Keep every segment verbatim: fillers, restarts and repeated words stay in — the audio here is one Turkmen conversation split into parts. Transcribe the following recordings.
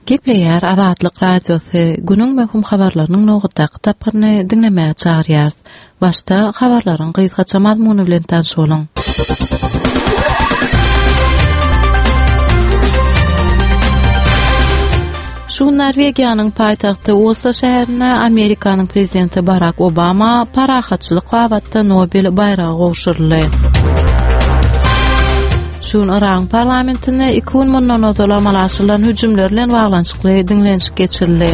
Gepleýär Azatlyk Radiosy, günüň möhüm habarlarynyň nobatdaky tapgyryny diňlemäge çagyrýarys. Başda habarlaryň gysgaça mazmuny bilen tanyş boluň. Şu gün Norwegiýanyň paýtagty Oslo şäherinde Amerikanyň prezidenti Barak Obama parahatçylyk babatda Nobel baýragy gowşuryldy. Şu gün Yragyň parlamentinde iki gün mundan ozal amala aşyrylan hüjümler bilen baglanyşykly diňlenişik geçirildi.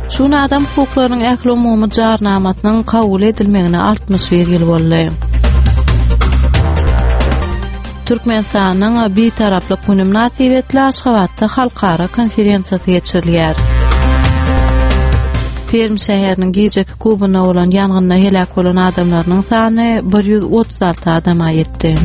Şu gün adam hukuklarynyň ählumumy jarnamasynyň kabul edilmegine altmyş bir ýyl boldy. Türkmenistanyň Bitaraplyk güni mynasybetli Aşgabatda halkara konferensiýasy geçirilýär. Perm şäheriniň gijeki klubynda bolan ýangynda heläk bolan adamlarynyň sany bir ýüz otuz alty adama ýetdi.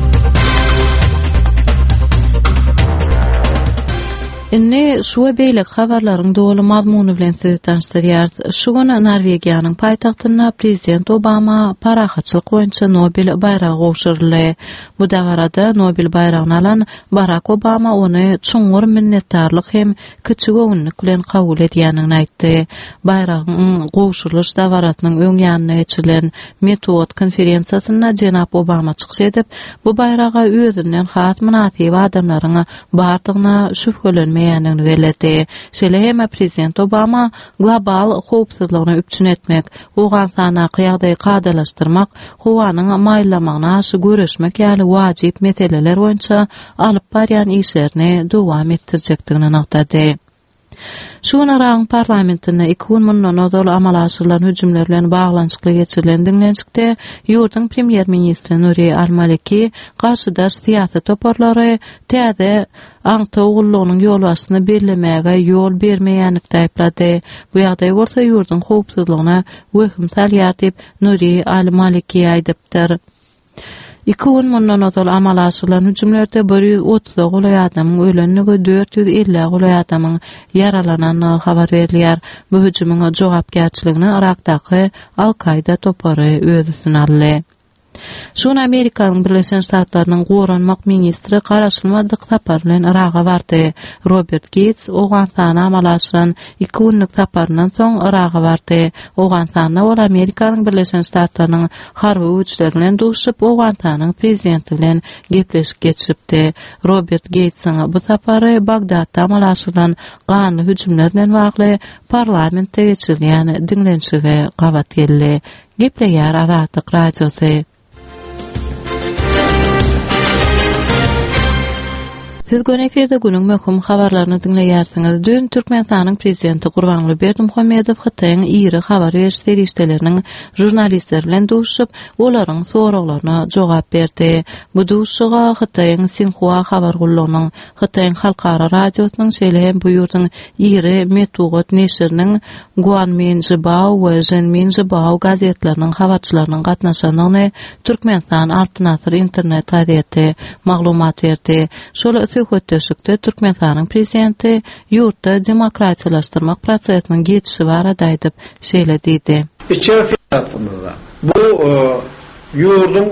Indi şu we beýleki habarlaryň doly mazmuny bilen sizi tanyşdyrýarys. Şu gün Norwegiýanyň paýtagtynda prezident Obama parahatçylyk boýunça Nobel baýragy gowşuryldy. Bu dabarada Nobel baýragyny alan Barak Obama ony çuňňur minnetdarlyk hem kiçigöwünlik bilen kabul edýändigini aýtdy. Baýragyň gowşurylyş dabarasynyň öň ýanynda geçirilen metbugat konferensiýasynda jenap Obama çykyş edip, bu baýraga özünden has mynasyp adamlaryň bardygyna şübhelenmeýändigini belledi. Şeýle hem prezident Obama global howpsuzlygyny üpjün etmek, Owganystandaky ýagdaýy kadalaşdyrmak, howanyň maýyllamagyna garşy göreşmek ýaly wajyp meseleler boýunça alyp barýan işlerini dowam etdirjekdigini nygtady. Şu gün Yragyň parlamentinde iki gün mundan ozal amala aşyrylan hüjümler bilen baglanyşykly geçirilen diňlenişikde ýurduň premýer-ministri Nuri al-Maliki garşydaş syýasy toparlary täze aňtaw gullugynyň ýolbaşçysyny bellemäge ýol bermeýänlikde aýyplady. Bu ýagdaý bolsa ýurduň howpsuzlygyna wehim salýar diýip, Nuri al-Maliki aýdypdyr. Iki gün mundan ozal amala aşyrylan hüjümlerde bir ýüz otuza golaý adamyň ölendigi, dört ýüz ellä golaý adamyň ýaralanandygy habar berilýär. Bu hüjümiň jogapkärçiligini Yrakdaky Al-Kaýda topary öz üstüne aldy. Şu gün Amerikanyň Birleşen Ştatlarynyň goranmak ministri garaşylmadyk sapar bilen Yraga bardy. Robert Geýts Owganystana amala aşyran iki günlük saparyndan soň Yraga bardy. Owganystanda ol Amerikanyň Birleşen Ştatlarynyň harby güýçleri bilen duşup, Owganystanyň prezidenti bilen gepleşik geçiripdi. Robert Geýtsiň bu sapary Bagdatda amala aşyrylan ganly hüjümler bilen bagly parlamentde geçirilýän diňlenişige gabat geldi. Gepleýär Azatlyk Radiosy. Siz göni efirde günüň möhüm habarlaryny diňleýärsiňiz. Düýn Türkmenistanyň Prezidenti Gurbanguly Berdimuhamedow Hytaýyň iri habar beriş serişdeleriniň žurnalistleri bilen duşuşyp, olaryň soraglaryna jogap berdi. Bu duşuşyga Hytaýyň Sinhua habar gullugynyň, Hytaýyň Halkara radiosynyň, şeýle hem bu ýurduň iri metbugat neşiriniň Guanmin Zhibao we Zhenmin Zhibao gazetleriniň habarçylarynyň gatnaşandygyny Türkmenistan Altyn asyr internet gazeti maglumat berdi. Şol söhbetdeşlikde Türkmenistanyň Prezidenti ýurtda demokratiýalaşdyrmak prosesiniň geçişi barada aýdyp, şeýle diýdi. Içeri syýasatymyzda bu ýurduň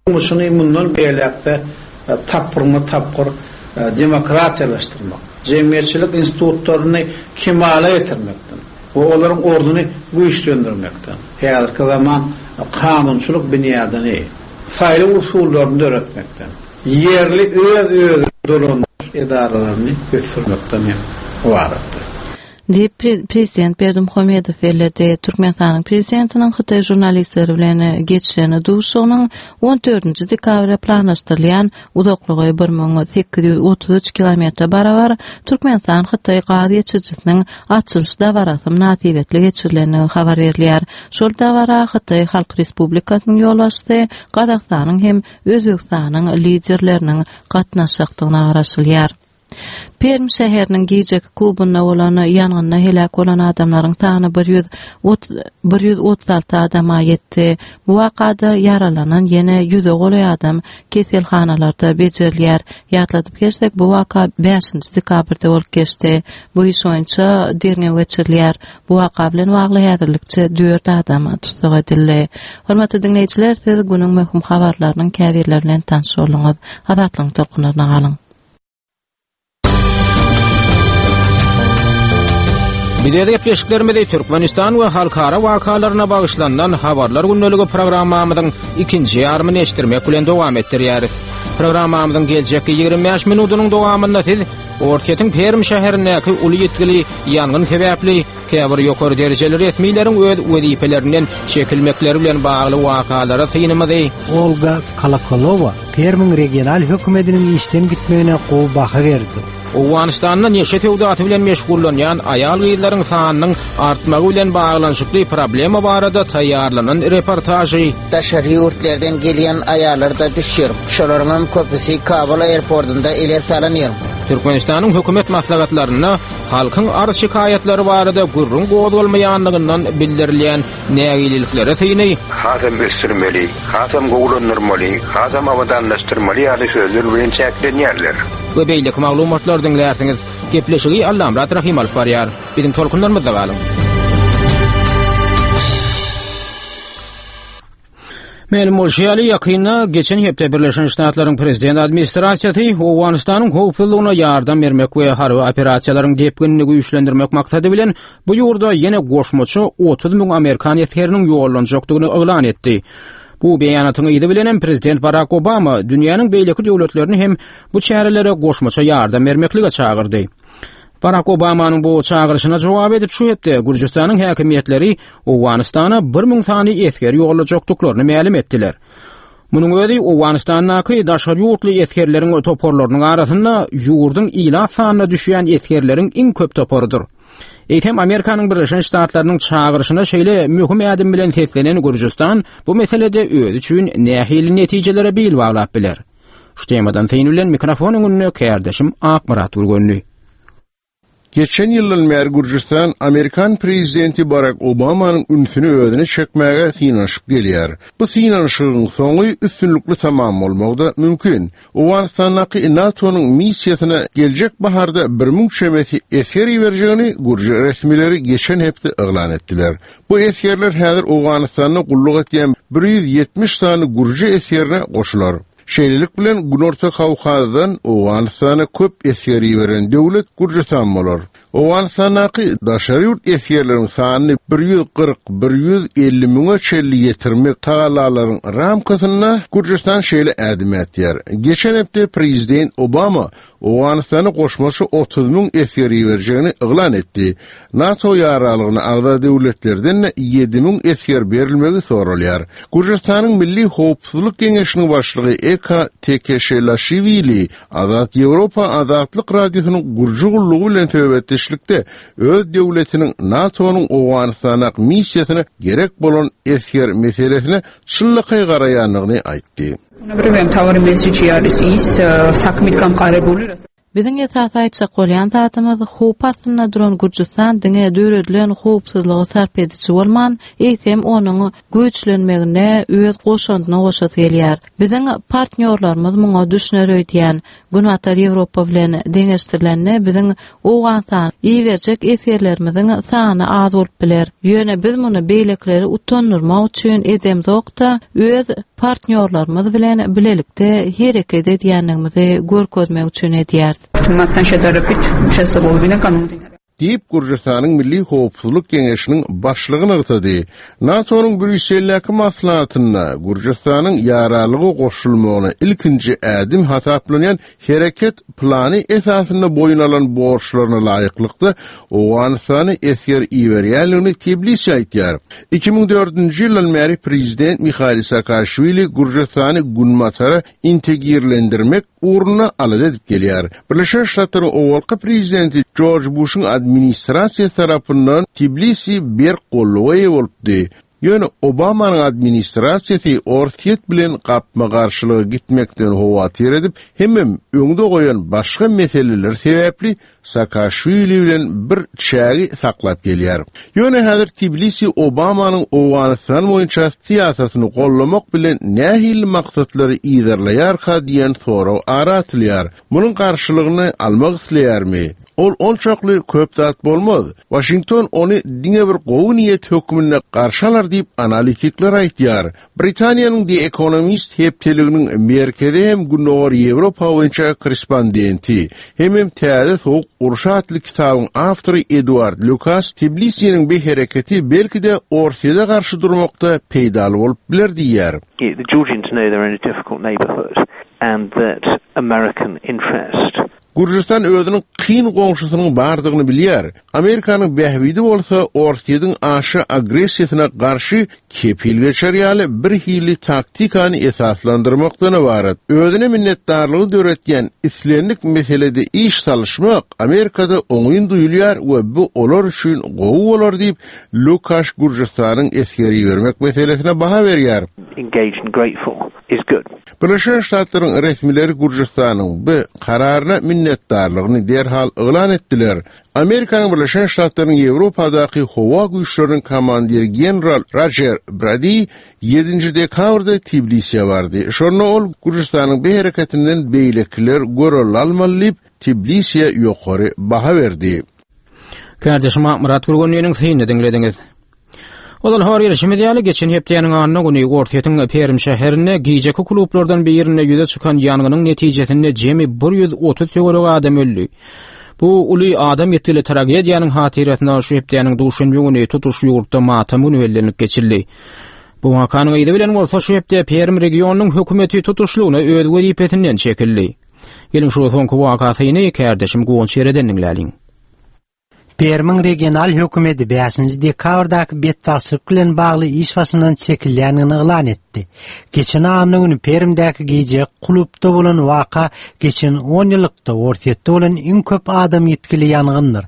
durmuşyny mundan beýläk-de tapgyrma-tapgyr demokratiýalaşdyrmak, jemgyýetçilik institutlaryny kemala getirmekden we olaryň ornuny güýçlendirmekden, häzirki zaman kanunçylyk binýadyny, saýlaw usullaryny döretmekden, ýerli öz-özüni dolandyryş edaralaryny ösdürmekden hem ybaratdyr. Diýip, prezident Berdimuhamedow belledi. Türkmenistanyň prezidentiniň hytaý žurnalistleri bilen geçiren duşuşygynyň on dördünji dekabra planlaşdyrylýan uzaklygy bir müň sekiz ýüz otuz üç kilometre barabar Türkmenistan-Hytaý gaz geçirijisiniň açylyş dabarasy mynasybetli geçirilendigi habar berilýär. Şol dabara Hytaý Halk Respublikasynyň ýolbaşçysy, Gazagystanyň hem Özbegistanyň liderleriniň gatnaşjakdygyna garaşylýar. Perm şäheriniň gijeki klubynda bolan ýangynda heläk bolan adamlaryň sany bir ýüz bir ýüz otuz alty adama ýetdi. Bu wakada ýaralanan ýene ýüze golaý adam keselhanalarda bejerilýär. Ýatladyp geçsek, bu waka bäşinji dekabrda bolup geçdi. Bu iş boýunça derňew geçirilýär. Bu waka bilen bagly häzirlikçe dört adam tussag edildi. Hormatly diňleýjiler, siz günüň möhüm habarlarynyň käbirleri bilen tanyş bolduňyz. Azatlygyň tolkunlaryna galyň. Biz gepleşiklerimizi Türkmenistan we halkara wakalaryna bagyşlanan habarlar gündeligi programmamyzyň ikinji ýarymyny eşitdirmek bilen dowam etdirýäris. Programmamyzyň geljekki ýigrimi bäş minutynyň dowamynda siz Orsýetiň Perm şäherindäki uly ýetgili ýangyn sebäpli käbir ýokary derejeli resmileriň öz wezipelerinden çekilmekleri bilen bagly wakalara synymyzy Olga Kolokolowa Permiň regional hökümetiniň işden gitmegine gowy baha berdi. Owganystanda neşe söwdasy bilen meşgullanýan aýal gyzlaryň sanynyň artmagy bilen baglanyşykly problema barada taýýarlanan reportažy Daşary ýurtlardan gelýän aýallar da düşýär. Şolaryň köpüsi Kabul aeroportunda ele salynýar. Türkmenistanyň hökümet maslahatlarynda halkyň arz şikaýatlary barada gürrüň gozgalmaýanlygyndan bildirilýän nägileliklere syny Hasam ösdürmeli, hasam gowulandyrmaly, hasam abadanlaşdyrmaly ýaly sözler bilen çäklenýärler. We beýleki maglumatlar diňlärsiňiz. Gepleşigi Allamyrat Rahim alyp barýar. Biziň tolkunlarymyzda galyň. Mälim bolşy ýaly, ýakynda geçen hepde Birleşen Ştatlaryň Prezident administrasiýasy Owganystanyň howpsuzlygyna ýardam bermek we harby operasiýalaryň depginini güýçlendirmek maksady bilen bu ýurda ýene goşmaça otuz müň Amerikan esgeriniň ýollanjakdygyny yglan etdi. Bu beýanatyň yzy bilen hem Prezident Barack Obama dünýäniň beýleki döwletlerini hem bu çärelere goşmaça ýardam bermeklige çagyrdy. Barack Obamanyň bu çagyryşyna jogap edip şu hepde Gürjüstanyň häkimiýetleri Owganystana bir müň sany esger ýollajakdyklaryny mälim etdiler. Munuň özi Owganystandaky daşary ýurtly esgerleriň toparlarynyň arasynda ýurduň ilat sanyna düşýän esgerleriň iň köp toparydyr. Eýsem Amerikanyň Birleşen Ştatlarynyň çagyryşyna şeýle möhüm ädim bilen seslenen Gürjüstan bu meselede özi üçin nähili netijelere bil baglap biler. Şu temadan syn bilen mikrofon öňünde kärdeşim Akmyrat Gürgenli. Geçen ýyldan bäri Gürjüstan Amerikan prezidenti Barack Obamanyň ünsüni özüne çekmäge synanyşyp gelýär. Bu synanyşygyň soňy üstünlikli tamam bolmagy da mümkin. Owganystandaky NATO-nyň missiýasyna geljek baharda bir müň çemesi esger iberjegini Gürji resmileri geçen hepde yglan etdiler. Bu esgerler häzir Owganystanda gulluk etýän bir ýüz ýetmiş sany Gürji esgerine goşular. Şeýlelik bilen Günorta Kawkazdan Owganystana köp esger iberen döwlet Gürjüstan bolar. Owganystandaky daşary ýurt esgerleriň sanyny bir ýüz kyrk, bir ýüz elli müňe çenli ýetirmek tagalalaryň ramkasynda Gürjüstan şeýle ädim ätýär. Geçen hepde Prezident Obama Owganystana goşmaça otuz müň esger iberjegini yglan etdi. NATO ýaralygyna agza döwletlerden ýedi müň esger berilmegi soralýar. Gürjüstanyň Milli Howpsuzlyk Geňeşiniň başlygy Eka Tekeşelaşwili Azat Ýewropa Azatlyk Radiosynyň Gürji gullugy bilen söhbetdeşlikde öz döwletiniň NATO-nyň Owganystana missiýasyna gerek bolan esger meselesine çynlakaý garaýandygyny aýtdy. Biziň esasy aýtjak bolýan zatymyz howp astynda duran Gürjüstan diňe döredilen howpsuzlygy sarp ediji bolman, eýsem onuň güýçlenmegine öz goşandyny goşasy gelýär. Biziň partnýorlarymyz muňa düşüner öýdýän. Günbatar Ýewropa bilen deňeşdirilende biziň Owganystan iberjek esgerlerimiziň sany az bolup biler. Ýöne biz muny beýlekileri utandyrmak üçin edemzokda öz partnýorlarymyz bilen bilelikde hereket edýänligimizi görkezmek üçin edýäris. Diýip Gürjüstanyň Milli Howpsuzlyk Geňeşiniň başlygy nygtady. NATO-nyň Brýusseldäki maslahatynda Gürjüstanyň ýaralygy goşulmagyna ilkinji ädim hasaplanýan hereket plany esasynda boýun alan borçlaryna laýyklykda Owganystany esger iberýänligini Tbilisi aýtýar. Iki müň dördünji ýyldan bäri Prezident Mihail Saakaşwili Gürjüstany Günbatara integrirlendirmek ugruna alada edip gelýär. Birleşen Ştatlaryň owalky prezidenti George Bush'un administrasiýasy tarapyndan Tbilisi berk golluga eýe bolupdy. Ýöne Obamanyň administrasiýasy Orsýet bilen gapma-garşylyga gitmekden howatyr edip, hemem öňde goýan başga meseleler sebäpli Saakaşwili bilen bir çägi saklap gelýär. Ýöne häzir Tbilisi Obamanyň Owganystan boýunça syýasatyny gollamak bilen nähili maksatlary yzarlaýarka diýen sorag ara atylýar. Munuň garşylygyny almak isleýärmi? Ol onçakly köp zat bolmaz. Washington ony diňe bir gowy niýet hökmünde garşy alar diýip analitikler aýtýar. Britaniýanyň The Economist hepdeliginiň merkezi hem Gündogar Ýewropa boýunça korrespondenti, hemem Täze sowuk uruş atly kitabyň awtory Eduard Lukas Tbilisiniň bu hereketi belki-de Orsýete garşy durmakda peýdaly bolup biler diýýär. The Georgians know they're in a difficult neighborhood and that American interest Gürjüstan özüniň kyn goňşusynyň bardygyny bilýär. Amerikanyň bähbidi bolsa Orsýetiň aşa agressiýasyna garşy kepil geçer ýaly bir hili taktikany esaslandyrmakdan ybarat. Özüne minnetdarlygy döretýän islendik meselede iş salyşmak Amerikada oňyn duýulýar we bu olar üçin gowy bolar diýip Lukaş Gürjüstanyň esger ibermek meselesine baha berýär. engaged and grateful is good. Birleşen Ştatlaryň resmileri Gürjüstanyň bu kararyna minnetdarlygyny derhal yglan etdiler. Amerikanyň Birleşen Ştatlarynyň Ýewropadaky howa güýçleriniň komandiri general Roger Brady ýedinji dekabrda Tbilisiýe bardy. Şonda ol Gürjüstanyň bu hereketinden beýlekiler görelde almaly diýip Tbilisiýe ýokary baha berdi. Kardeşim Murat Gürgenliniň synyny diňlediňiz. Ozal habar berişimiz ýaly geçen hepdäniň anna güni Orsýetiň Perm şäherinde gijeki klublardan birinde ýüze çykan ýangynyň netijesinde jemi bir ýüz otuz töweregi adam öldi. Bu uly adam ýetgili tragediýanyň hatyrasyna şu hepdäniň duşenbe güni tutuş ýurtda matam güni bellenip geçildi. Bu wakanyň yzy bilen bolsa şu hepde Perm regionynyň hökümeti tutuşlygyna öz wezipesinden çekildi. Gelin şu soňky wakasyny kardeşim Guwanç Ýereden diňläliň. Permiň regional hökümeti bäşinji dekabrdaky betbagtçylyk bilen bagly iş başyndan çekilýänini yglan etdi. Geçen anna güni Permdäki gije klubda bolan waka geçen on ýyllykda Orsýetde bolan iň köp adam ýetgili ýangyndyr.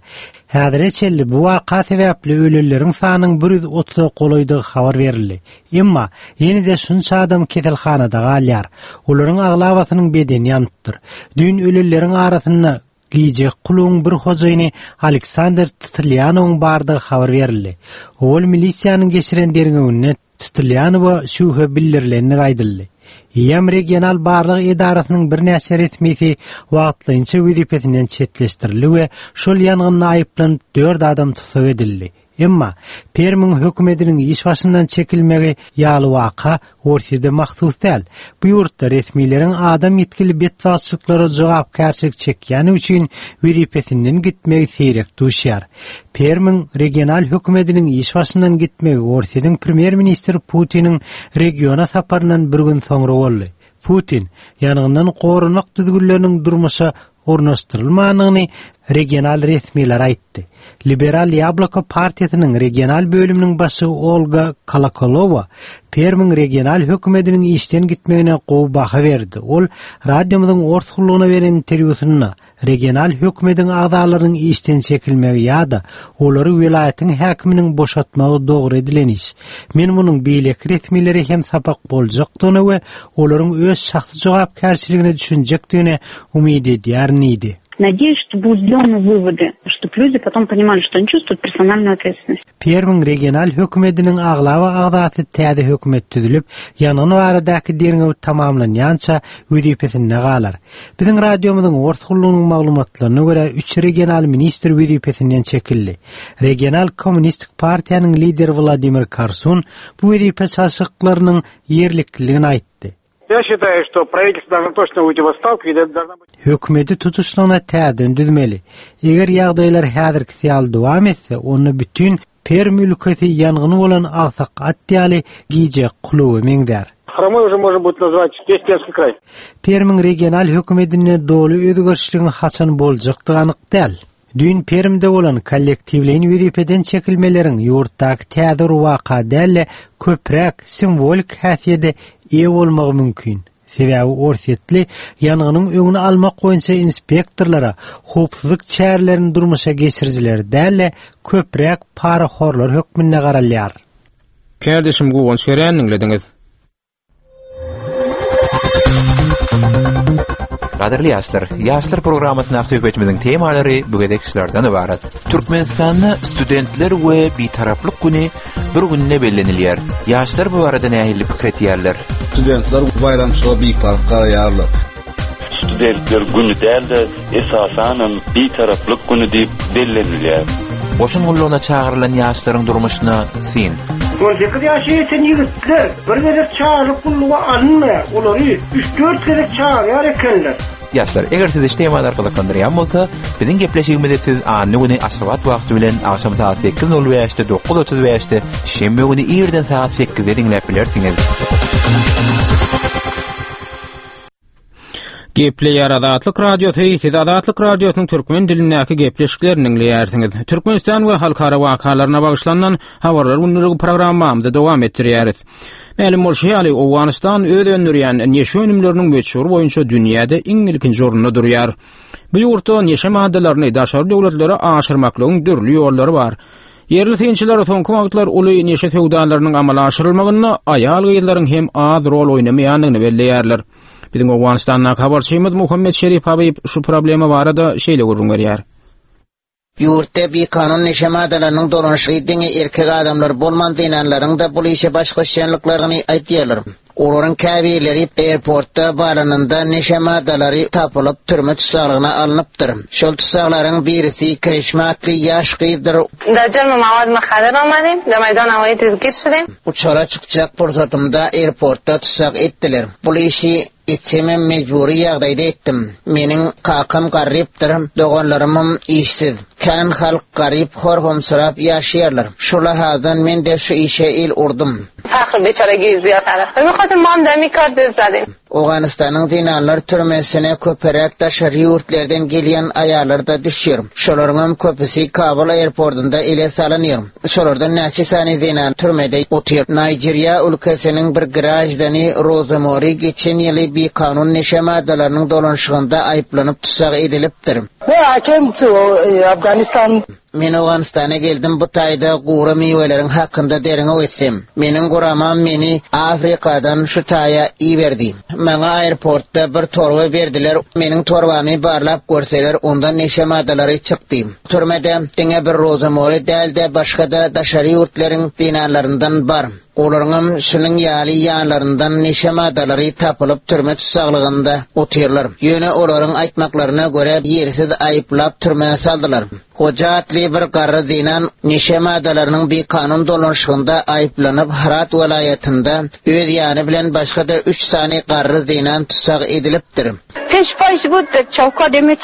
Häzire çenli bu waka sebäpli ölüleriň sanynyň bir ýüz otuza golaýdygy habar berildi. Emma ýene-de şunça adam keselhanada galýar. Olaryň aglabasynyň bedeni ýanypdyr. Düýn ölüleriň arasynda gije klubuň bir hojaýyny Aleksandr Titlyanowyň bardygy habar berildi. Ol milisiýanyň geçiren derňewinde Titlyanowa şübhe bildirilenligi aýdyldy. Ýem regional barlyk edarasynyň birnäçe resmisi wagtlaýynça wezipesinden çetleşdirildi we şol ýangynda aýyplanyp dört adam tussag edildi. Emma Permiň hökümetiniň iş başyndan çekilmegi ýaly waka Orsýetde mahsus däl. Bu ýurtda resmileriň adam ýetgili betbagtçylyklara jogapkärçilik çekýäni üçin wezipesinden gitmegi seýrek duşýar. Permiň regional hökümetiniň iş başyndan gitmegi Orsýetiň premýer-ministri Putiniň regiona saparyndan bir gün soňra boldy. Putin ýangyndan goranmak düzgünleriniň durmuşa ornaşdyrylmanyny regional resmiler aýtdy. Liberal Ýabloko partiýasynyň regional bölüminiň başy Olga Kolokolowa Permiň regional hökümetiniň işden gitmegine gowy baha berdi. Ol radiomyzyň ors gullugyna beren interwýusynda regional hökümetiň agzalarynyň işden çekilmegi ýa-da olary welaýatyň häkiminiň boşatmagy dogry edilen iş. Men munuň beýleki resmileri hem sapak boljakdygyna we olaryň öz şahsy jogapkärçiligine düşünjekdigine umyt edýärin diýdi. Надеюсь, что будут сделаны выводы, чтобы люди потом понимали, что они чувствуют персональную ответственность. Permiň regional hökümetiniň aglaba agzasy täze hökümet düzülip, ýangyn baradaky derňew tamamlanýança wezipesinde galar. Biziň radiomyzyň ors gullugynyň maglumatlaryna görä üç regional ministr wezipesinden çekildi. Regional Kommunistik partiýanyň lideri Vladimir Karsun bu wezipe çalşyklarynyň ýerlikliligini aýtdy. Я считаю, что правительство должно точно уйти в отставку и должна быть Hökümeti tutuşlygyna täzeden düzmeli. Eger ýagdaýlar häzirki ýaly dowam etse, onda bütün Perm ülkesi ýangyny bolan agsak at ýaly gije kluby meňzär. Хромой уже можно будет назвать весь Пермский край. Permiň regional hökümetine doly özgerişligiň haçan boljakdygy anyk däl. Düýn Permde bolan kollektiwleýin wezipeden çekilmeleriň ýurtdaky täze waka däl, köpräk simwolik häsiýete eýe bolmagy mümkin. Sebäbi Orsýetli ýangynyň öňüni almak boýunça inspektorlara howpsuzlyk çärelerini durmuşa geçirijiler däl, köpräk parahorlar hökmünde garalýar. Kardeşim Guwanç Eren diňlediňiz. Gadyrly ýaşlar, ýaşlar programmasyna söhbetimiziň temalary bu gezek şulardan ibarat. Türkmenistanda studentler we bitaraplyk güni bir günde bellenilýär. Ýaşlar bu barada nähili pikir etýärler? Studentler bayramçylyğa biparh garaýarlar. Studentler günü däl-de esasanam Bitaraplyk günü diýip bellenilýär. Goşun gullugyna çagyrylan ýaşlaryň durmuşyna syn. On sekiz ýaşa ýeten ýigitler bir gezek çagyrylyp gulluga alynmaýar. Olary üç-dört gezek çagyrýar ekenler. Ýaşlar, eger sizi şu temalar gyzyklandyrýan bolsa, biziň gepleşigimizi siz anna güni Aşgabat wagty bilen agşam saat sekiz nol bäşde, dokuz otuz bäşde, şenbe güni irden saat sekizde diňläp bilersiňiz. Gepleýär Azatlyk Radiosy, siz Azatlyk Radiosynyň türkmen dilindäki gepleşiklerini diňleýärsiňiz. Türkmenistan we halkara wakalaryna bagyşlanan habarlar günlügi programmamyzy dowam etdirýäris. Mälim bolşy ýaly, Owganystan öz öndürýän neşe önümleriniň möçberi boýunça dünýäde iň ilkinji orunda durýar. Bu ýurtda neşe maddalaryny daşary döwletlere aşyrmaklygyň dürli ýollary bar. Ýerli synçylar soňky wagtlar uly neşe söwdalarynyň amala aşyrylmagynda aýal-gyzlaryň hem az rol oýnamaýandygyny belleýärler. Biziň Owganystandaky habarçymyz Muhammet Şerif Habib şu problema barada şeýle gürrüň berýär. Ýurtda bikanun neşe maddalarynyň dolanyşygy diňe erkek adamlar bolman zenanlaryň-da bul işe baş goşýanlyklaryny aýdýarlar. Olaryň käbirleri airportda barlanynda neşe maddalary tapylyp türme tussaglygyna alnypdyr. Şol tussaglaryň birisi Kirişme atly ýaş gyzdyr. در جرم مواد مخدر آمدیم، در میدان هوایی دستگیر شدیم. Uçara çykjak pursatymda airportda tussag etdiler. Bul işi etsemem mejbury ýagdaýda etdim. Meniň kakam garypdyr, doganlarymam işsiz. Kän halk garyp hor-homsyrap ýaşaýarlar. Şu lahadan men de şu işe el urdum. فخر بیچارگی زیاد است. به خاطر ما هم دمی کار دست زدیم. Owganystanyň zenanlar türmesine köpräk daşary ýurtlardan gelýän aýallar da düşýär. Şolaryň köpüsi Kabul airportunda ele salynýar. Şolardan näçe sany zenan türmede otyr. Nigeria ülkesiniň bir grajdany Rozamori geçen ýyly bikanun neşe maddalarynyň dolanyşygynda aýyplanyp tussag edilipdir. I came to Afghanistan. Men Owganystana geldim, bu taýda gura miweleriň hakynda derňew etsem. Meniň guramam meni Afrikadan şu taýa iberdi. Maňa airportda bir torba berdiler. Meniň torbamy barlap görseler, ondan neşe maddalary çykdy. Türmede diňe bir Rozamori däl-de başga-da daşary ýurtlaryň zenanlaryndan bar. Olaryňam şunuň ýaly ýanlaryndan neşe maddalary tapylyp türme tussaglygynda otyrlar. Ýöne olaryň aýtmaklaryna görä ýersiz aýyplap türmä saldylar. Hoja atly bir garry zenan neşe maddalarynyň bikanun dolanyşygynda aýyplanyp Herat welaýatynda öz ýany bilen başga-da üç sany garry zenan tussag edilipdir. Peş paş bud, çawka demet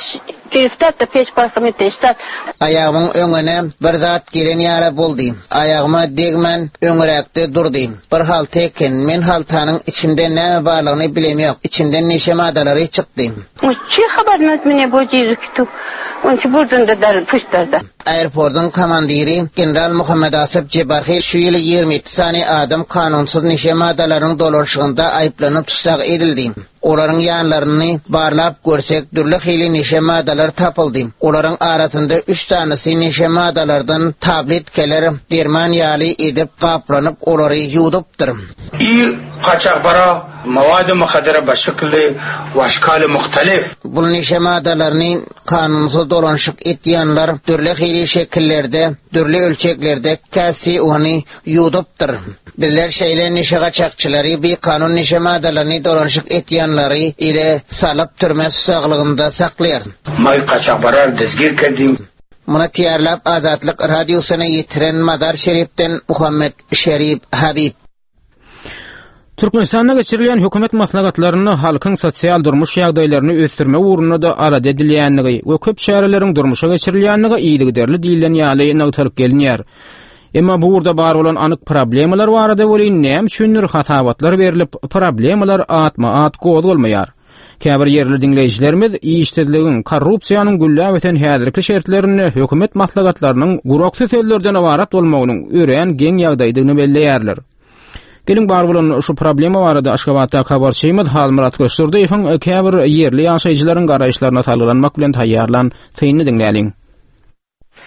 giriftat da peş paşamy teştat. Aýagymyň öňüne bir zat gelen ýaly boldy. Aýagyma degmän öňräkde durdy. Bir halta eken, men haltanyň içinde näme barlygyny bilem ýok. Içinden neşe maddalary çykdy. Çi habar mene bu jizu Onçu buradan da dar puştarda. Airportun komandiri General Muhammed Asif Cebarhi şu ýyly ýigrimi ýedi sany adam kanunsyz neşe maddalarynyň dolanyşygynda aýyplanyp tussag edildi. Olaryň ýanlaryny barlap görsek dürli hili neşe maddalar tapyldy. Olaryň arasynda üç tanesi neşe maddalardan tabletkeler derman ýaly edip gaplanyp olary ýuwdupdyr. İ kaçakbara مواد مخدره به شکل و اشکال muhtelif. Bu neşe maddalaryny kanunsyz dolanyşyk etýänler dürli hili şekillerde, dürli ölçeklerde käsi ony ýuwdupdyr. Bizler şeýle neşe gaçakçylary bir kanun neşe maddalaryny dolanyşyk etýänleri ile salyp türme tusaglygynda saklaýar. May kaçakbarar dezgir kerdim. Muny tayarlap Azatlyk radiosyna ýetiren Mazar Şerifden Muhammed Şerif Habib. Türkmenistanda geçirilen hökümet maslahatlarynda halkyň sosial durmuş ýagdaýlaryny ösdürmek ugrunda da arada edilýänligi we köp çäreleriň durmuşa geçirilýänligi yzygiderli diýilen ýaly nygtalyp gelinýär. Emma bu ugurda bar bolan anyk problemalar barada welin näme üçindir hasabatlar berilip, problemalar atma-at gozgalmaýar. Käbir ýerli diňleýjilerimiz işsizligiň, korrupsiýanyň gülläp ösen häzirki şertlerinde hökümet maslahatlarynyň guraksy sözlerden ybarat bolmagynyň örän geň ýagdaýdygyny belleýärler. Gelin bar bolan şu problema barada Aşgabatda habarçymyz Halmyrat Gyşdurdyýewiň käbir ýerli ýaşaýjylaryň garaýyşlaryna salgylanmak bilen taýýarlan synyny diňläliň.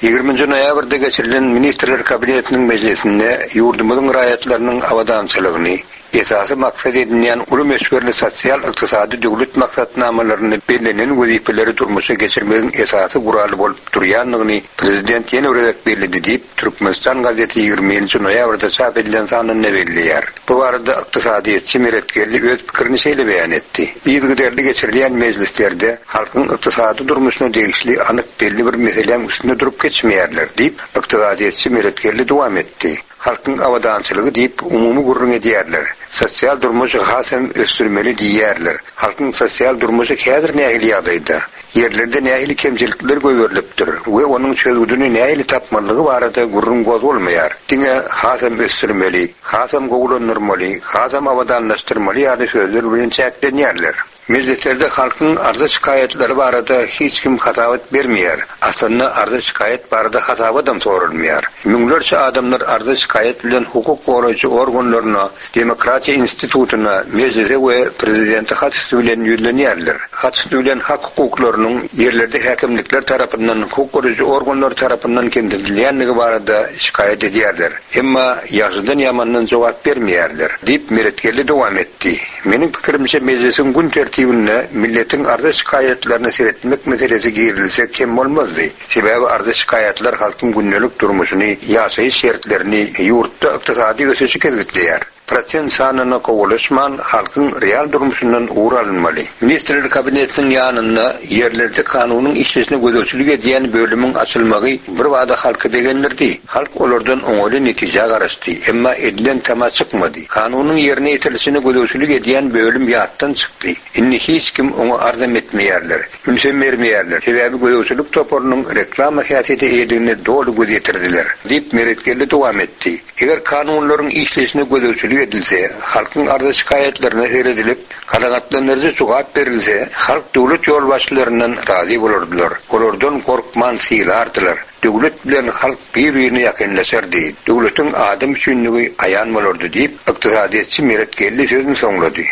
Ýigriminji noýabrda geçirilen Ministrler Kabinetiniň mejlisinde ýurdumyzyň raýatlarynyň abadançylygyny, Esasy maksat edinýän uly möçberli sosial-ykdysady döwlet maksatnamalaryny bellenen wezipeleri durmuşa geçirmegiň esasy guraly bolup durýandygyny prezident ýene bir gezek belledi diýip, Türkmenistan gazeti ýigriminji noýabrda çap edilen sanynda belleýär. Bu barada ykdysadyýetçi Meretgeldi öz pikirini şeýle beýan etdi. Yzygiderli geçirilýän mejlislerde halkyň ykdysady durmuşyna degişli anyk belli bir meseläň üstünde durup geçmeýärler diýip, ykdysadyýetçi Meretgeldi dowam etdi. Halkyň abadançylygy diýip umumy gürrüň edýärler. Sosial durmuşy has hem ösdürmeli diýýärler. Halkyň sosial durmuşy häzir nähili ýagdaýda? Ýerlerde nähili kemçilikler goýberilipdir we onuň çözgüdini nähili tapmalygy barada gürrüň gozgalmaýar. Diňe has hem ösdürmeli, has hem gowulandyrmaly, has hem abadanlaşdyrmaly ýaly sözler bilen çäklenýärler. Mejlislerde halkyň arza şikaýatlary barada hiç kim hasabat bermeýär. Aslynda arza şikaýat barada hasabatam sorulmaýar. Müňlerçe adamlar arza şikaýat bilen hukuk goraýjy organlaryna, demokratiýa institutyna, mejlise we prezidente hat üsti bilen ýüzlenýärler. Hat üsti bilen hak hukuklarynyň ýerlerde häkimlikler tarapyndan, hukuk goraýjy organlar tarapyndan kemsidilýändigi barada şikaýat edýärler. Emma ýagşydan ýamandan jogap bermeýärler diýip Meretgeldi dowam etdi. Meniň pikirimçe mejlisiň gün tertibinde milletiň arza şikaýatlaryny seretmek meselesi girizilse kem bolmazdy. Sebäbi arza şikaýatlar halkyň gündelik durmuşyny, ýaşaýyş şertlerini, ýurtda ykdysady ösüşi kesgitleýär. Prosent sanyna kowalaşman halkyň real durmuşyndan ugur alynmaly. Ministrler kabinetiniň ýanynda ýerlerde kanunyň işleşine gözegçilik edýän bölümiň açylmagy bir bada halky begendirdi. Halk olardan oňaly netije garaşdy. Emma edilen tama çykmady. Kanunyň ýerine ýetirilişine gözegçilik edýän bölüm ýatdan çykdy. Indi hiç kim oňa arzam etmeýärler. Ünsem bermeýärler. Sebäbi gözegçilik toparynyň reklama häsiýete eýedigine doly göz ýetirdiler diýip Meretgeldi dowam etdi. Eger kanunlaryň işleşine gözegçilik edilse, halkyň arza şikaýatlaryna seredilip, kanagatlandyryjy jogap berilse, halk döwlet ýolbaşçylaryndan razy bolardylar. Olardan gorkman sylardylar. Döwlet bilen halk bir-birine ýakynlaşardy. Döwletiň adam üçinligi aýan bolardy diýip, ykdysadyýetçi Meretgeldi sözüni soňlady.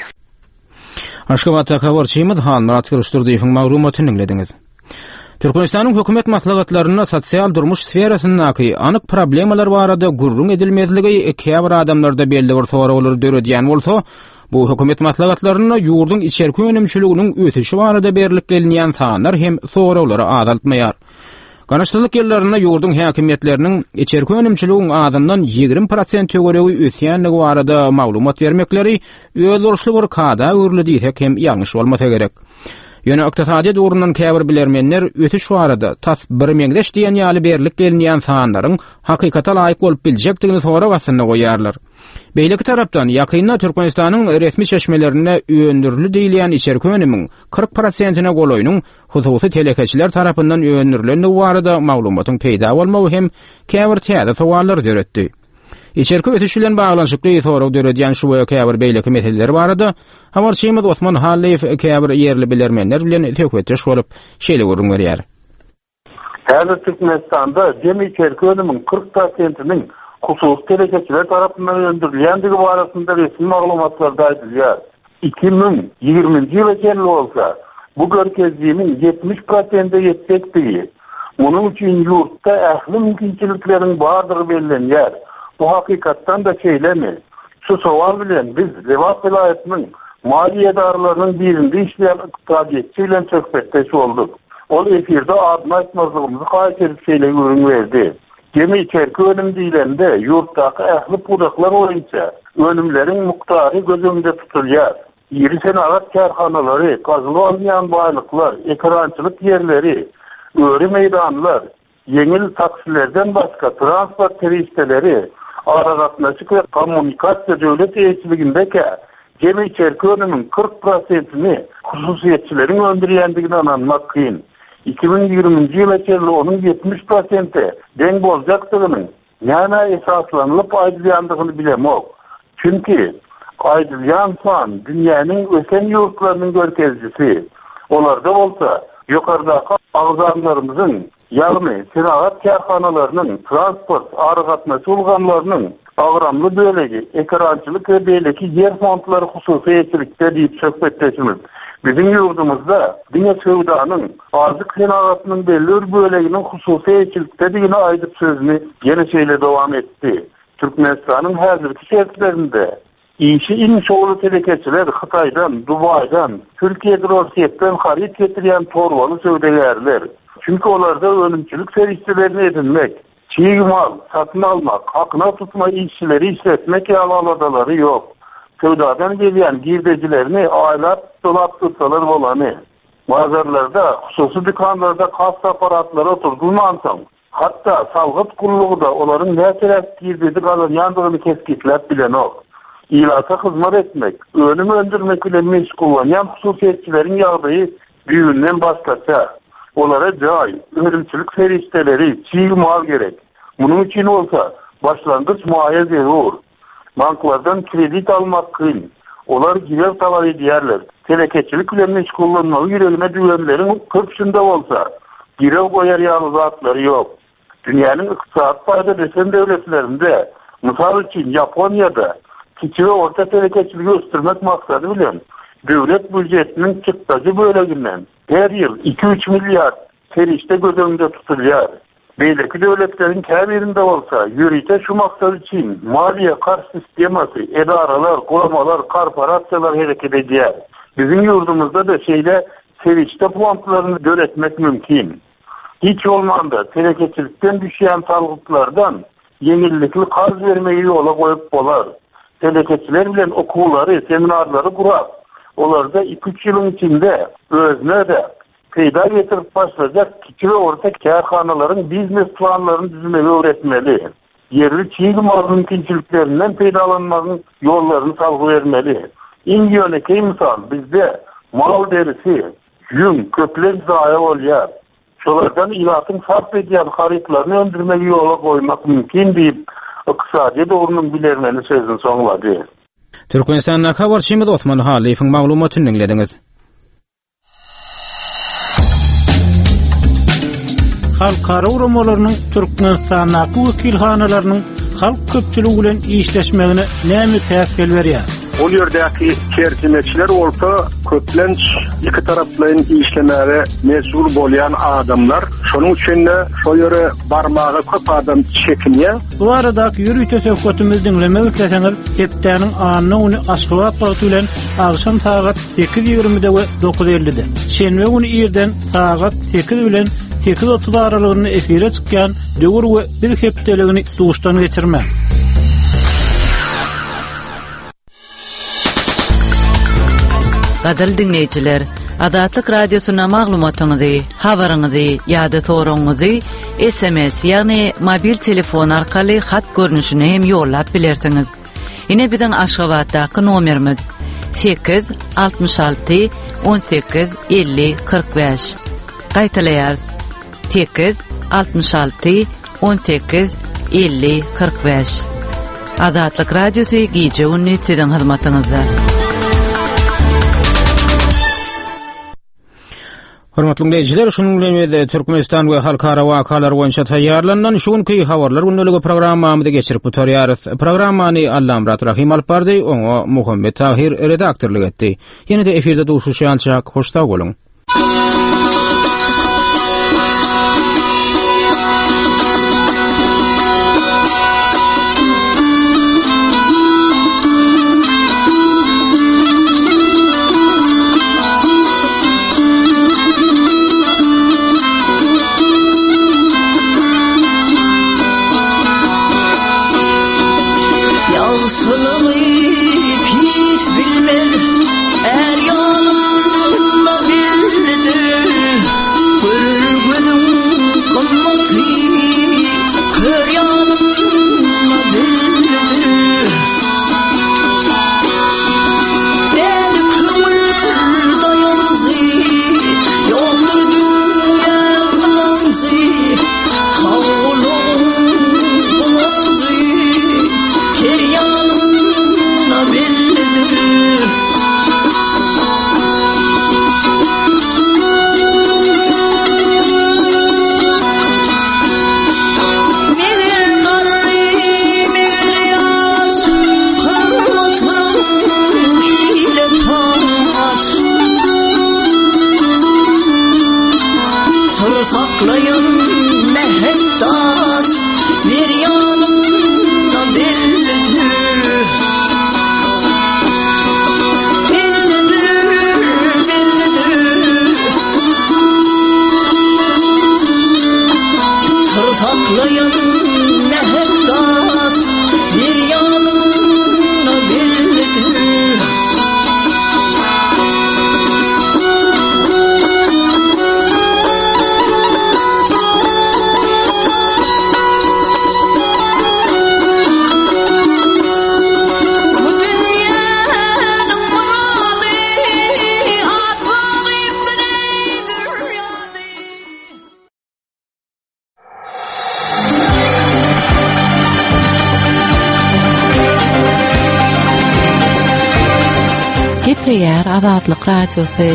Aşgabatda habarçymyz Hanmyrat Gylyçdurdyýewiň maglumatyny diňlediňiz. Türkmenistanyň hökümet maslahatlarynda sosial durmuş sferasyndaky anyk problemalar barada gürrüň edilmezligi käbir adamlarda belli bir soraglary döredýän bolsa, bu hökümet maslahatlarynda ýurduň içerki önümçiliginiň ösüşi barada berlip gelinýän sanlar hem soraglary azaltmaýar. Garaşsyzlyk ýyllarynda ýurduň häkimiýetleriniň içerki önümçiligiň azyndan ýigrimi prosent töweregi ösýändigi barada maglumat bermekleri özboluşly bir kada öwrüldi diýsek hem ýalňyş bolmasa gerek. Ýöne ykdysady ugrundan käbir bilermenler ösüş barada tas bir meňzeş diýen ýaly berlip gelinýän sanlaryň hakykata laýyk bolup biljekdigini sorag astynda goýarlar. Beýleki tarapdan ýakynda Türkmenistanyň resmi çeşmelerinde öndürildi diýilýän içerki önümiň kyrk prosentine golaýynyň hususy telekeçiler tarapyndan öndürilendigi barada maglumatyň peýda bolmagy hem käbir täze sowallary döretdi. Içerki ösüş bilen baglanyşykly sorag döredýän şu we käbir beýleki meseleler barada habarçymyz Osman Hallyýew käbir ýerli bilermenler bilen söhbetdeş bolup şeýle gürrüň berýär. Häzir Türkmenistanda jemi içerki önümiň kyrk prosentiniň hususy telekeçiler tarapyndan öndürilýändigi barasynda resmi maglumatlarda aýdylýar. iki müň ýigriminji ýyla çenli bolsa bu görkezijiniň ýetmiş prosente ýetjekdigi, munuň üçin ýurtda ähli mümkinçilikleriň bardygy bellenýär. Bu hakykatdan da şeýlemi? Şu sowal bilen biz Lebap welaýatynyň maliýe edaralarynyň birinde işleýän ykdysadyýetçi bilen söhbetdeş bolduk. Ol efirde adyny aýtmazlygymyzy haýyş edip şeýle gürrüň berdi. Jemi içerki önüm diýlende ýurtdaky ähli pudaklar boýunça önümleriň mukdary göz öňünde tutulýar. Iri senagat kärhanalary, gazylyp alynýan baýlyklar, ekerançylyk ýerleri, öri meýdanlar, ýeňil taksilerden başga transport serişdeleri, aragatnaşyk we kommunikasiýa döwlet eýeçiligindeki jemi içerki önümiň kyrk prosentini hususyýetçileriň öndürýändigine ynanmak kyn. iki müň ýigriminji ýyla çenli onuň ýetmiş prosente deň boljakdygynyň näme esaslanylyp aýdylýandygyny bilemok. Çünki aýdylýan san dünýäniň ösen ýurtlarynyň görkezijisi. Olarda bolsa ýokardaky agzamlarymyzyň, ýagny senagat kärhanalarynyň, transport, aragatnaşyk ulgamlarynyň agramly bölegi, ekerançylyk we beýleki ýer fondlary hususy eýeçilikde diýip söhbetdeşimiz. Biziň ýurdumyzda diňe söwdanyň, azyk senagatynyň belli bir böleginiň hususy eýeçilikdedigini aýdyp sözüni ýene şeýle dowam etdi. Türkmenistanyň häzirki şertlerinde Işi iň şowly telekeçiler Hytaýdan, Dubaýdan, Türkiýedir Orsýetden haryt getirýän torbaly söwdagärler. Çünki olarda önümçilik serişdelerini edinmek, çig mal satyn almak, hakyna tutma işçileri işletmek ýaly aladalary ýok. Söwdadan gelýän girdejilerini aýlap dolap dursalar bolany. Bazarlarda, hususy dükanlarda kassa aparatlary oturdylmansoň, hatda salgyt gullugy-da olaryň näçeräk girdeji gazanýandygyny kesgitläp bilenok. Ilata hyzmat etmek, önüm öndürmek bilen meşgullanýan hususyýetçileriň ýagdaýy düýbünden başgaça. Olara jaý, önümçilik serişdeleri, çig mal gerek. Munuň üçin bolsa başlangyç maýa zerur. Banklardan kredit almak kyn. Olar girew talap edýärler. Telekeçilik bilen meşgullanmagy ýüregine düwenleriň köpüsinde bolsa girew goýar ýaly zatlary ýok. Dünýäniň ykdysady taýdan ösen döwletlerinde, mysal üçin Ýaponiýada kiçi we orta telekeçiligi ösdürmek maksady bilen döwlet býujetiniň çykdajy böleginden her ýyl iki-üç milliard serişde göz öňünde tutulýar. Beýleki döwletleriň käbirinde bolsa ýörite şu maksat üçin maliýe-karz sistemasy, edaralar, guramalar, korporasiýalar hereket edýär. Biziň ýurdumyzda-da şeýle serişde fondlaryny döretmek mümkin. Hiç bolmanda telekeçilikden düşýän salgytlardan ýeňillikli karz bermegi ýola goýup bolar. Telekeçiler bilen okuwlary, seminarlary gurap, olarda iki-üç ýylyň içinde özüne-de peýda getirip başlajak kiçi we orta kärhanalaryň biznes planlaryny düzmegi öwretmeli. Ýerli çig mal mümkinçiliklerinden peýdalanmagyň ýollaryny salgy bermeli. Iň ýönekeý mysal, bizde mal derisi, ýüň köplenç zaýa bolýar. Şolardan ilatyň sarp edýän harytlaryny öndürmegi ýola goýmak mümkin diýip, ykdysadyýet ugrunyň bilermeni sözüni soňlady. Türkmenistandaky habarçymyz Osman Halyýewiň maglumatyny diňlediňiz. Halkara guramalarynyň Türkmenistandaky wekilhanalarynyň halk köpçüligi bilen işleşmegine näme päsgel berýär? Ol ýerdäki terjimeçiler bolsa köplenç iki taraplaýyn işlemäge mejbur bolýan adamlar. Şonuň üçin-de şo ýere barmaga köp adam çekinýär. Bu baradaky ýörite söhbetimizi diňlemek isleseňiz, hepdäniň anna güni Aşgabat wagty bilen agşam sagat sekiz ýigrimide we dokuz ellide. Şenbe güni irden sagat sekiz bilen sekiz otuz aralygynda efire çykýan Döwür we Biz hepdeligini duşdan geçirme. Gadyrly diňleýjiler, Azatlyk Radiosyna maglumatyňyzy, habaryňyzy ýa-da soragyňyzy S M S, ýagny mobil telefon arkaly hat görnüşine hem ýollap bilersiňiz. Ine biziň Aşgabatdaky nomerimiz sekiz altmyş alty on sekiz elli kyrk bäş. Gaýtalaýarys. Sekiz altmyş alty on sekiz elli kyrk bäş. Azatlyk Radiosy gije gündüz siziň hyzmatyňyzda. Hormatly dinleýjiler, şunuň bilen biz Türkmenistan we halkara wakalar boýunça taýýarlanan şu günki habarlar gündeligi programmamyzy geçirip gutarýarys. Programmany Allamyrat Rahim alyp bardy, oňa Muhammet Tahir redaktorlyk etdi. Ýene-de efirde duşuşýança hoş sag boluň. Sağ olun, Saklaýan mähek das bir ýanynda bellidir. Bu dünýäniň myrady atlagypdyr eý zürýady. Gepleýär Azatlyk Radiosy.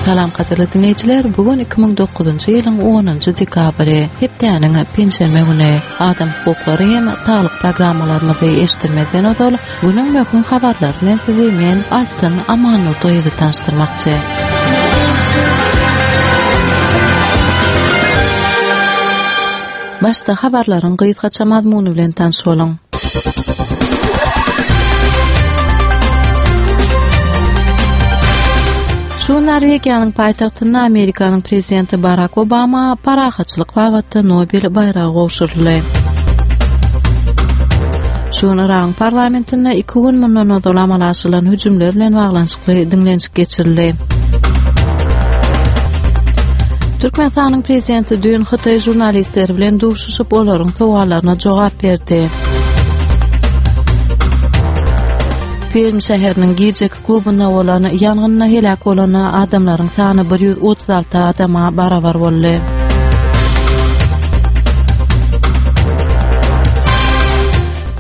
Salam gadyrly diňleýjiler, bu gün iki müň dokuzynjy ýylyň onunjy dekabry, hepdäniň penşenbe güni. Adam hukuklary hem saglyk programmalarymyzy eşitdirmezden ozal, günüň möhüm habarlary bilen sizi men Altyn Amannurdyýewa tanyşdyrmakçy. Başda habarlaryň gysgaça mazmuny bilen tanyş boluň. Şu gün Norwegiýanyň paýtagtynda Amerikanyň prezidenti Barak Obama parahatçylyk babatda Nobel baýragy gowşuryldy. Şu gün Yragyň parlamentinde iki gün mundan ozal amala aşyrylan hüjümler bilen baglanyşykly diňlenişik geçirildi. Türkmenistanyň prezidenti düýn hytaý žurnalistleri bilen duşuşyp, olaryň sowallaryna jogap berdi. Perm şäheriniň gijeki klubunda bolan ýangynda heläk bolan adamlaryň sany bir ýüz otuz alty adama barabar boldy.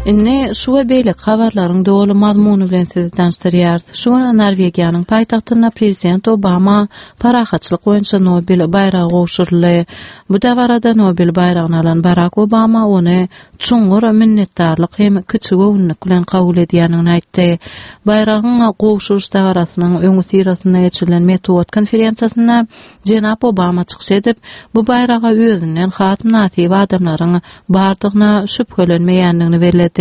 Indi şu we beýleki habarlaryň doly mazmuny bilen sizi tanyşdyrýarys. Şu gün Norwegiýanyň paýtagtynda prezident Obama parahatçylyk boýunça Nobel baýragy gowşuryldy. Bu dabarada Nobel baýragyny alan Barak Obama ony çuňňur minnetdarlyk hem kiçigöwünlik bilen kabul edýändigini aýtdy. Baýragyň gowşuryş dabarasynyň öňüsyrasynda geçirilen metbugat konferensiýasynda jenap Obama çykyş edip, bu baýraga özünden has mynasyp adamlaryň bardygyna şübhelenmeýändigini belledi.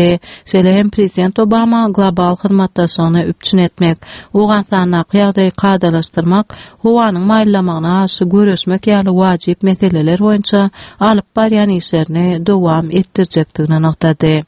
Şeýle hem prezident Obama global hyzmatdaşlygyny üpjün etmek, Owganystandaky ýagdaýy kadalaşdyrmak, howanyň maýyllamagyna garşy göreşmek ýaly wajyp meseleler boýunça alyp barýan işlerini dowam etdirjekdigini nygtady.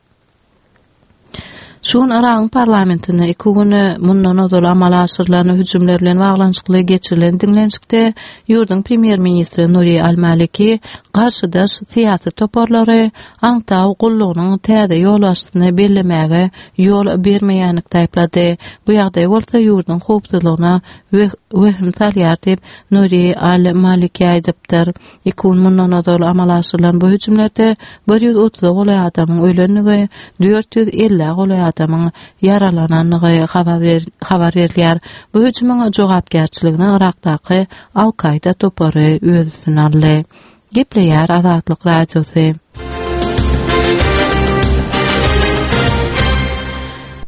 Şu gün Yragyň parlamentinde iki gün mundan ozal amala aşyrylan hüjümler bilen baglanyşykly geçirilen diňlenişikde ýurduň premýer-ministri Nuri al-Maliki garşydaş syýasy toparlary aňtaw gullugynyň täze ýolbaşçysyny bellemäge ýol bermeýänlikde aýyplady. Bu ýagdaý bolsa ýurduň howpsuzlygyna wehim salýar diýip, Nuri al-Maliki aýdypdyr. Iki gün mundan ozal amala aşyrylan bu hüjümlerde bir ýüz otuza golaý adamyň ölendigi, dört ýüz ellä golaý adamyň ýaralanandygy habar berilýär. Bu hüjümiň jogapkärçiligini Yrakdaky Al-Kaýda topary öz üstüne aldy. Gepleýär Azatlyk Radiosy.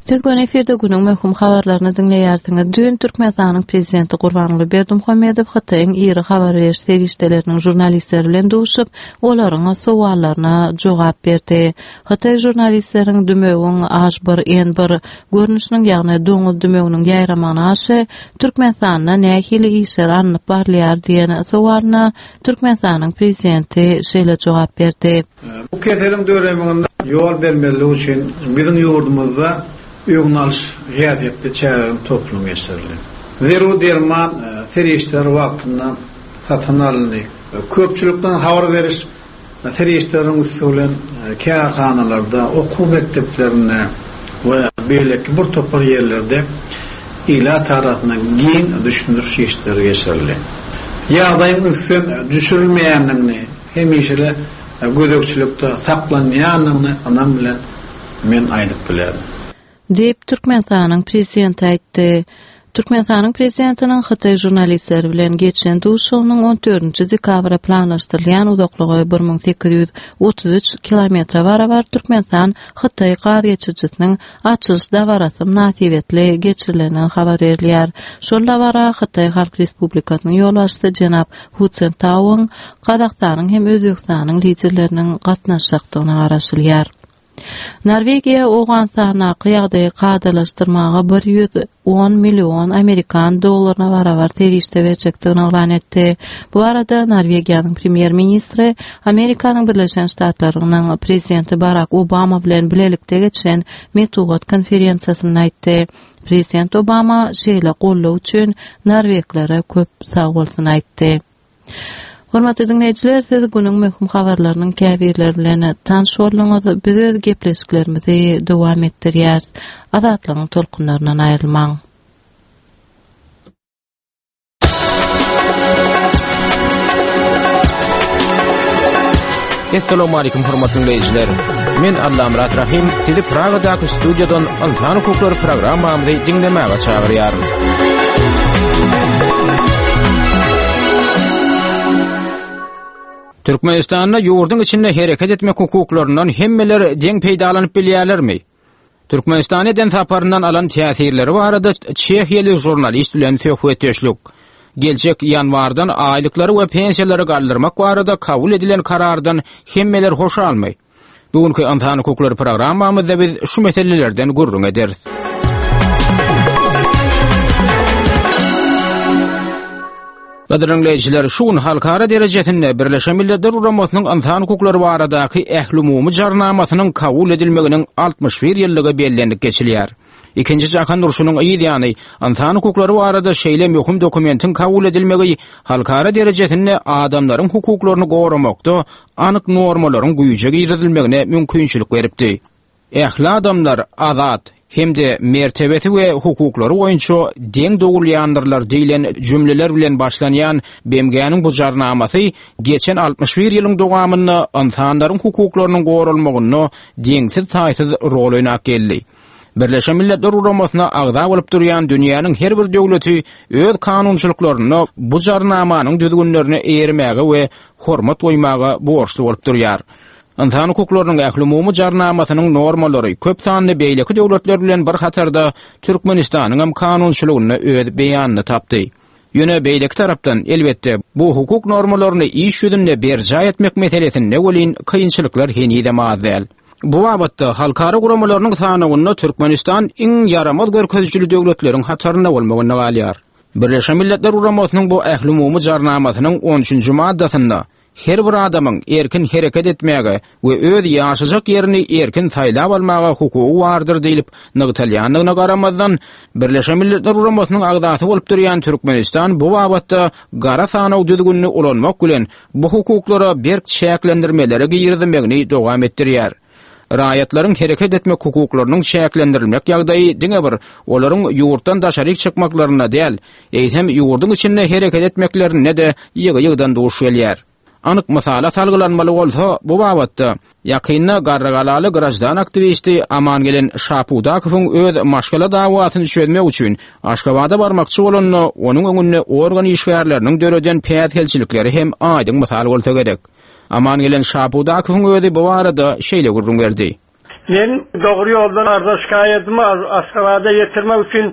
Siz göni efirde günüň möhüm habarlaryny diňleýärsiňiz. Düýn Türkmenistanyň Prezidenti Gurbanguly Berdimuhamedow Hytaýyň iri habar beriş serişdeleriniň žurnalistleri bilen duşup, olaryň sowallaryna jogap berdi. Hytaý žurnalistleriň dümewiň H bir N bir görnüşiniň, ýagny doňuz dümewiniň ýaýramagyna garşy Türkmenistanda nähili işler alnyp barylýar diýen sowalyna Türkmenistanyň Prezidenti şeýle jogap berdi. Bu keseliň döremegine ýol bermezlik üçin biziň ýurdumyzda öňüni alyş häsiýetli çäreleriň toplumy geçirildi. Zerur derman serişdeleri wagtynda satyn alyndy. Köpçülikden habar beriş serişdeleriniň üsti bilen kärhanalarda, okuw mekdeplerinde we beýleki bir topar ýerlerde ilat arasynda giň düşündiriş işleri geçirildi. Ýagdaýyň ünsden düşürilmeýändigini, hemişe gözegçilikde saklanýandygyny ynam bilen men aýdyp bilerin. Diýip, Türkmenistanyň Prezidenti aýtdy. Türkmenistanyň Prezidentiniň hytaý žurnalistleri bilen geçiren duşuşygynyň on dördünji dekabra planlaşdyrylýan uzaklygy bir müň sekiz ýüz otuz üç kilometre barabar Türkmenistan Hytaý gaz geçirijisiniň açylyş dabarasy mynasybetli geçirilendigi habar berilýär. Şol dabara Hytaý Halk Respublikasynyň ýolbaşçysy jenap Hu Çzintauwyň, Gazagystanyň hem Özbegistanyň liderleriniň gatnaşjakdygyna garaşylýar. Norwegiýa Owganystandaky ýagdaýy kadalaşdyrmaga bir ýüz on million amerikan dollaryna barabar serişde berjekdigini yglan etdi. Bu barada Norwegiýanyň premýer-ministri Amerikanyň Birleşen Ştatlarynyň prezidenti Barak Obama bilen bilelikde geçiren metbugat konferensiýasynda aýtdy. Prezident Obama şeýle goldaw üçin norweglere köp sagbolsun aýtdy. Hormatly diňleýjiler, siz günüň möhüm habarlarynyň käbirleri bilen tanyş bolduňyz. Biz öz gepleşiklerimizi dowam etdirýäris. Azatlygyň tolkunlaryndan aýrylmaň. Essalamu aleýkum hormatly diňleýjiler. Men Allamyrat Rahim sizi Pragadaky studiýadan Ynsan hukuklary programmamyzy diňlemäge çagyrýaryn. Türkmenistanda ýurduň içinde hereket etmek hukuklaryndan hemmeler deň peýdalanyp bilýärlermi? Türkmenistana eden saparyndan alan täsirleri barada çehiýaly žurnalist bilen söhbetdeşlik. Geljek ýanwardan aýlyklary we pensiýalary galdyrmak barada kabul edilen karardan hemmeler hoşalmy? Bu günki Ynsan hukuklary programmamyzda biz şu meselelerden gürrüň ederis. Gadyrly diňleýjiler, şu gün halkara derejesinde Birleşen Milletler Guramasynyň Ynsan hukuklary baradaky ählumumy jarnamasynyň kabul edilmeginiň altmyş bir ýyllygy bellenip geçilýär. Ikinji jahan urşunyň yz ýany ynsan hukuklary barada şeýle möhüm dokumentiň kabul edilmegi halkara derejesinde adamlaryň hukuklaryny goramakda anyk normalaryň güýje girizilmegine mümkinçilik beripdi. Ähli adamlar azat hem-de mertebesi we hukuklary boýunça deň dogulýandyrlar diýlen jümleler bilen başlanýan B M G-niň bu jarnamasy geçen altmyş bir ýylyň dowamynda ynsanlaryň hukuklarynyň goralmagynda deňsiz-taýsyz rol oýnap geldi. Birleşen Milletler Guramasyna agza bolup durýan dünýäniň her bir döwleti öz kanunçylyklarynda bu jarnamanyň düzgünlerine eýermäge we hormat goýmaga borçly bolup durýar. Ynsan hukuklarynyň ählumumy jarnamasynyň normalary köp sanly beýleki döwletler bilen bir hatarda Türkmenistanyň hem kanunçylygynda öz beýanyny tapdy. Ýöne beýleki tarapdan elbetde bu hukuk normalaryny iş ýüzünde berjaý etmek meselesinde welin kynçylyklar henizem az däl. Bu babatda halkara guramalarynyň sanawynda Türkmenistan iň ýaramaz görkezijili döwletleriň hatarynda bolmagyna galýar. Birleşen Milletler Guramasynyň bu ählumumy jarnamasynyň on üçünji maddasynda her bir adamyň erkin hereket etmäge we öz ýaşajak ýerini erkin saýlap almaga hukugy bardyr diýlip nygtalýandygyna garamazdan, Birleşen Milletler Guramasynyň agzasy bolup durýan Türkmenistan bu babatda gara sanaw düzgünini ulanmak bilen bu hukuklara berk çäklendirmelere girizmegini dowam etdirýär. Raýatlaryň hereket etmek hukuklarynyň çäklendirilmek ýagdaýy diňe bir olaryň ýurtdan daşaryk çykmaklarynda däl, eýsem ýurduň içinde hereket etmeklerinde de ýygy-ýygydan duş gelýär. Anyk mysala salgylanmaly bolsa, bu babatda ýakynda Garrygalaly grajdan aktiwisti Amangelen Şapudakowyň öz maşgala dawasyny çözmek üçin Aşgabada barmakçy bolanda onuň öňünde organ işgärleriniň döreden päsgelçilikleri hem aýdyň mysal bolsa gerek. Amangelen Şapudakowyň özi bu barada şeýle gürrüň berdi. Men dogry ýoldan arza şikaýatymy Aşgabada ýetirmek üçin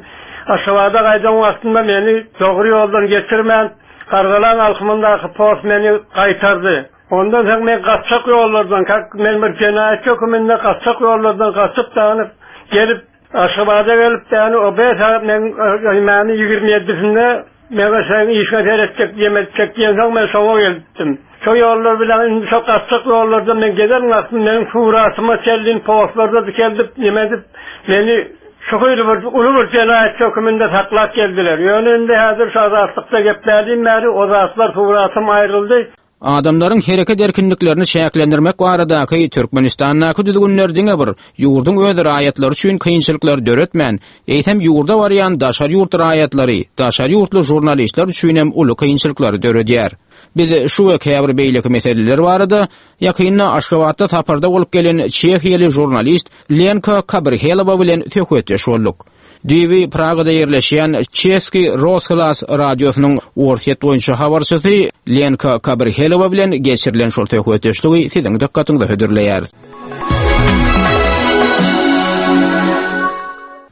Aşgabada gaýdan wagtynda meni dogry ýoldan getirmän Gargalan alkymyndaky post meni gaýtardy. Ondan soň men gaçak ýollardan, men bir jenaýat höküminde gaçak ýollardan gaçyp danyp gelip Aşgabada gelip däni o beş sagat men ýigirmi ýigirmi ýedisinde men sen işe seretjek, ýemetjek diýen soň men şoňa gelipdim. Şo ýollar bilen indi şo gaçak ýollardan men gezen wagtym meniň suratyma çellin postlarda dikeldip, ýemedip meni şu hili bir uly bir jenaýat höküminde saklap geldiler. Ýöne indi häzir şu azatlykda geplädim bäri o zatlar suratym aýryldy. Adamlaryň hereket erkinliklerini çäklendirmek baradaky Türkmenistandaky düzgünler diňe bir ýurduň öz raýatlary üçin kynçylyklar döretmän, eýsem ýurda barýan daşary ýurt raýatlary, daşary ýurtly žurnalistler üçin hem uly kynçylyklary döredýär. Biz şu we käbir beýleki meseleler barada ýakynda Aşgabatda saparda bolup gelen çehiýaly žurnalist Lenka Kabrhelowa bilen söhbetdeş bolduk. Düýbi Pragada ýerleşýän Çeski Rosglas radiosynyň Orsýet boýunça habarçysy Lenka Kabrhelowa bilen geçirilen şol söhbetdeşligi siziň dykgatyňyza hödürleýäris.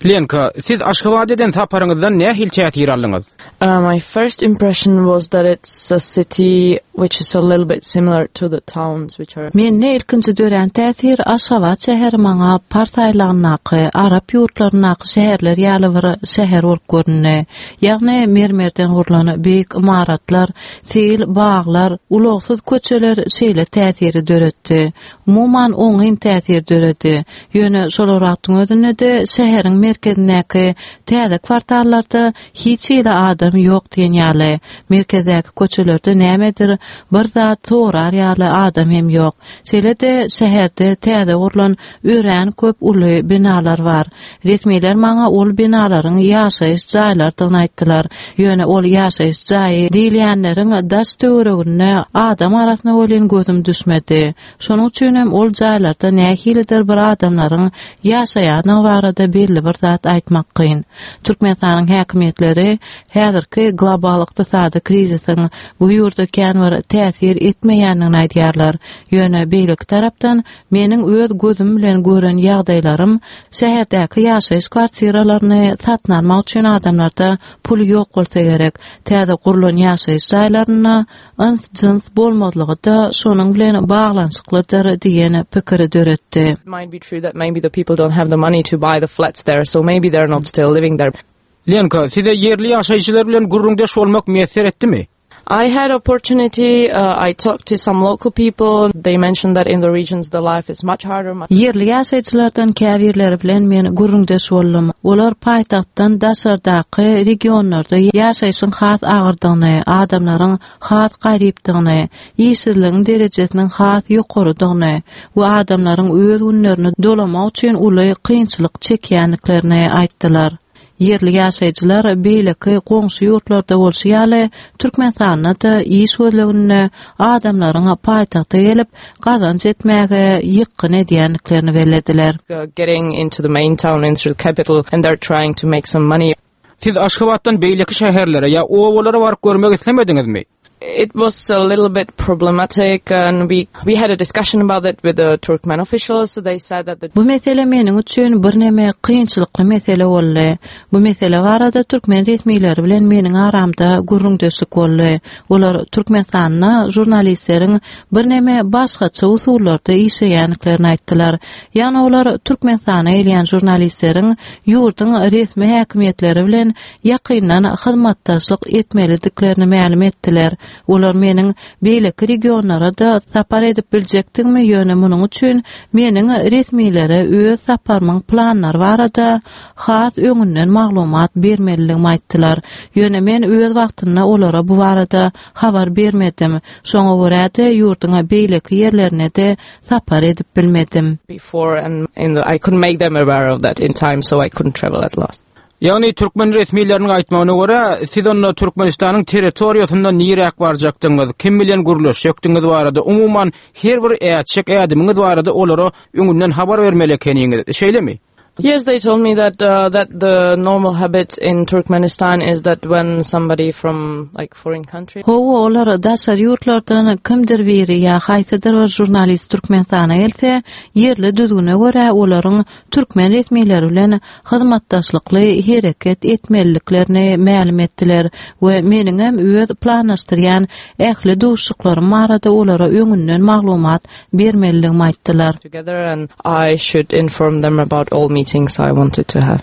Lenka, siz Aşgabat eden saparyňyzdan nähili täsir aldyňyz? Uh, my first impression was that it's a city which is a little bit similar to the towns which are Mende ilkinji dörän täsir Aşgabat şäheri maňa Pars aýlagyndaky, Arap ýurtlaryndaky şäherler ýaly bir şäher bolup göründi. Ýagny mermerden gurlan beýik ymaratlar, seýil baglar, ulagsyz köçeler şeýle täsiri döretdi. Umuman oňyn täsir döredi. Ýöne şol wagtyň özünde-de şäheriň merkezindäki täze kwartallarda hiç hili adam ýok diýen ýaly. Merkezdäki köçelerde nämedir bir zat sorar ýaly adam hem ýok. Şeýle-de şäherde täze gurlan örän köp uly binalar bar. Resmiler maňa ol binalaryň ýaşaýyş jaýlarydygyny aýtdylar. Ýöne ol ýaşaýyş jaýy diýilýänleriň daş töwereginde adam arasyna welin gözüm düşmedi. Şonuň üçin hem ol jaýlarda nähilidir bir adamlaryň ýaşaýandygy barada belli bir zat aýtmak kyn. Türkmenistanyň häkimiýetleri häzirki global ykdysady krizisiň bu ýurda kän bir täsir etmeýändigini aýdýarlar. Ýöne beýleki tarapdan meniň öz gözüm bilen gören ýagdaýlarym şäherdäki ýaşaýyş kwartiralaryny satyn almak üçin adamlarda pul ýok bolsa gerek. Täze gurlan ýaşaýyş jaýlarynda yns-jyns bolmazlygy-da şonuň bilen baglanyşyklydyr diýen pikiri döretdi. It might be true that maybe the people don't have the money to buy the flats there, so maybe they're not still living there. Lenka, size ýerli ýaşaýjylar bilen gürrüňdeş bolmak miýesser etdimi? I had opportunity, uh, I talked to some local people. They mentioned that in the regions the life is much harder. Much Ýerli ýaşaýjylardan käbirleri bilen men gürrüňdeş boldum. Olar paýtagtdan daşardaky regionlarda ýaşaýşyň has agyrdygyny, adamlaryň has garypdygyny, işsizligiň derejesiniň has ýokarydygyny we adamlaryň öz günlerini dolamak üçin uly kynçylyk çekýändiklerini aýtdylar. Ýerli ýaşaýjylar beýleki goňşy ýurtlarda bolşy ýaly Türkmenistanda-da iş gözleginde adamlaryň paýtagta gelip gazanç etmäge ýykgyn edýändiklerini bellediler. uh, getting into the main town, into the capital, and they're trying to make some money. Siz Aşgabatdan beýleki şäherlere ýa obalara baryp görmek islemediňizmi? It was a little bit problematic, and we we had a discussion about it with the Turkmen officials. They said that the Bu mesele meniň üçin birneme kynçylykly mesele boldy. Bu mesele barada türkmen resmileri bilen meniň aramda gürrüňdeşlik boldy. Olar Türkmenistanda žurnalistleriň birneme başgaça usullarda işleýändiklerini aýtdylar. Ýagny olar Türkmenistana gelýän žurnalistleriň ýurduň resmi häkimiýetleri bilen ýakyndan hyzmatdaşlyk etmelidiklerini mälim etdiler. Olar meniň beýleki regionlara-da sapar edip biljekdigimi, ýöne munuň üçin meniň resmilere öz saparymyň planlary barada has öňünden maglumat bermelidigimi aýtdylar. Ýöne men öz wagtynda olara bu barada habar bermedim. Şoňa görä-de ýurduň beýleki ýerlerine-de sapar edip bilmedim. before, and in the, I couldn't make them aware of that in time, so I couldn't travel at last. Ýagny türkmen resmileriniň aýtmagyna görä, siz onda Türkmenistanyň territoriýasynda niräk barjakdyňyz, kim bilen gürleşjekdiňiz barada, umuman her bir ätjek ädimiňiz barada olara öňünden habar bermeli ekeniňiz, şeýlemi? Yes, they told me that uh, that the normal habit in Turkmenistan is that when somebody from like foreign country Hawa, olar daşary ýurtlardan kimdir biri ýa haýsydyr bir žurnalist Türkmenistana gelse, ýerli düzgüne görä olaryň türkmen resmileri bilen hyzmatdaşlykly hereket etmeliliklerini mälim etdiler we meniňem öz planlaşdyrýan ähli duşuşyklarym barada olara öňünden maglumat bermelidigimi aýtdylar. together, and I should inform them about all meetings I wanted to have.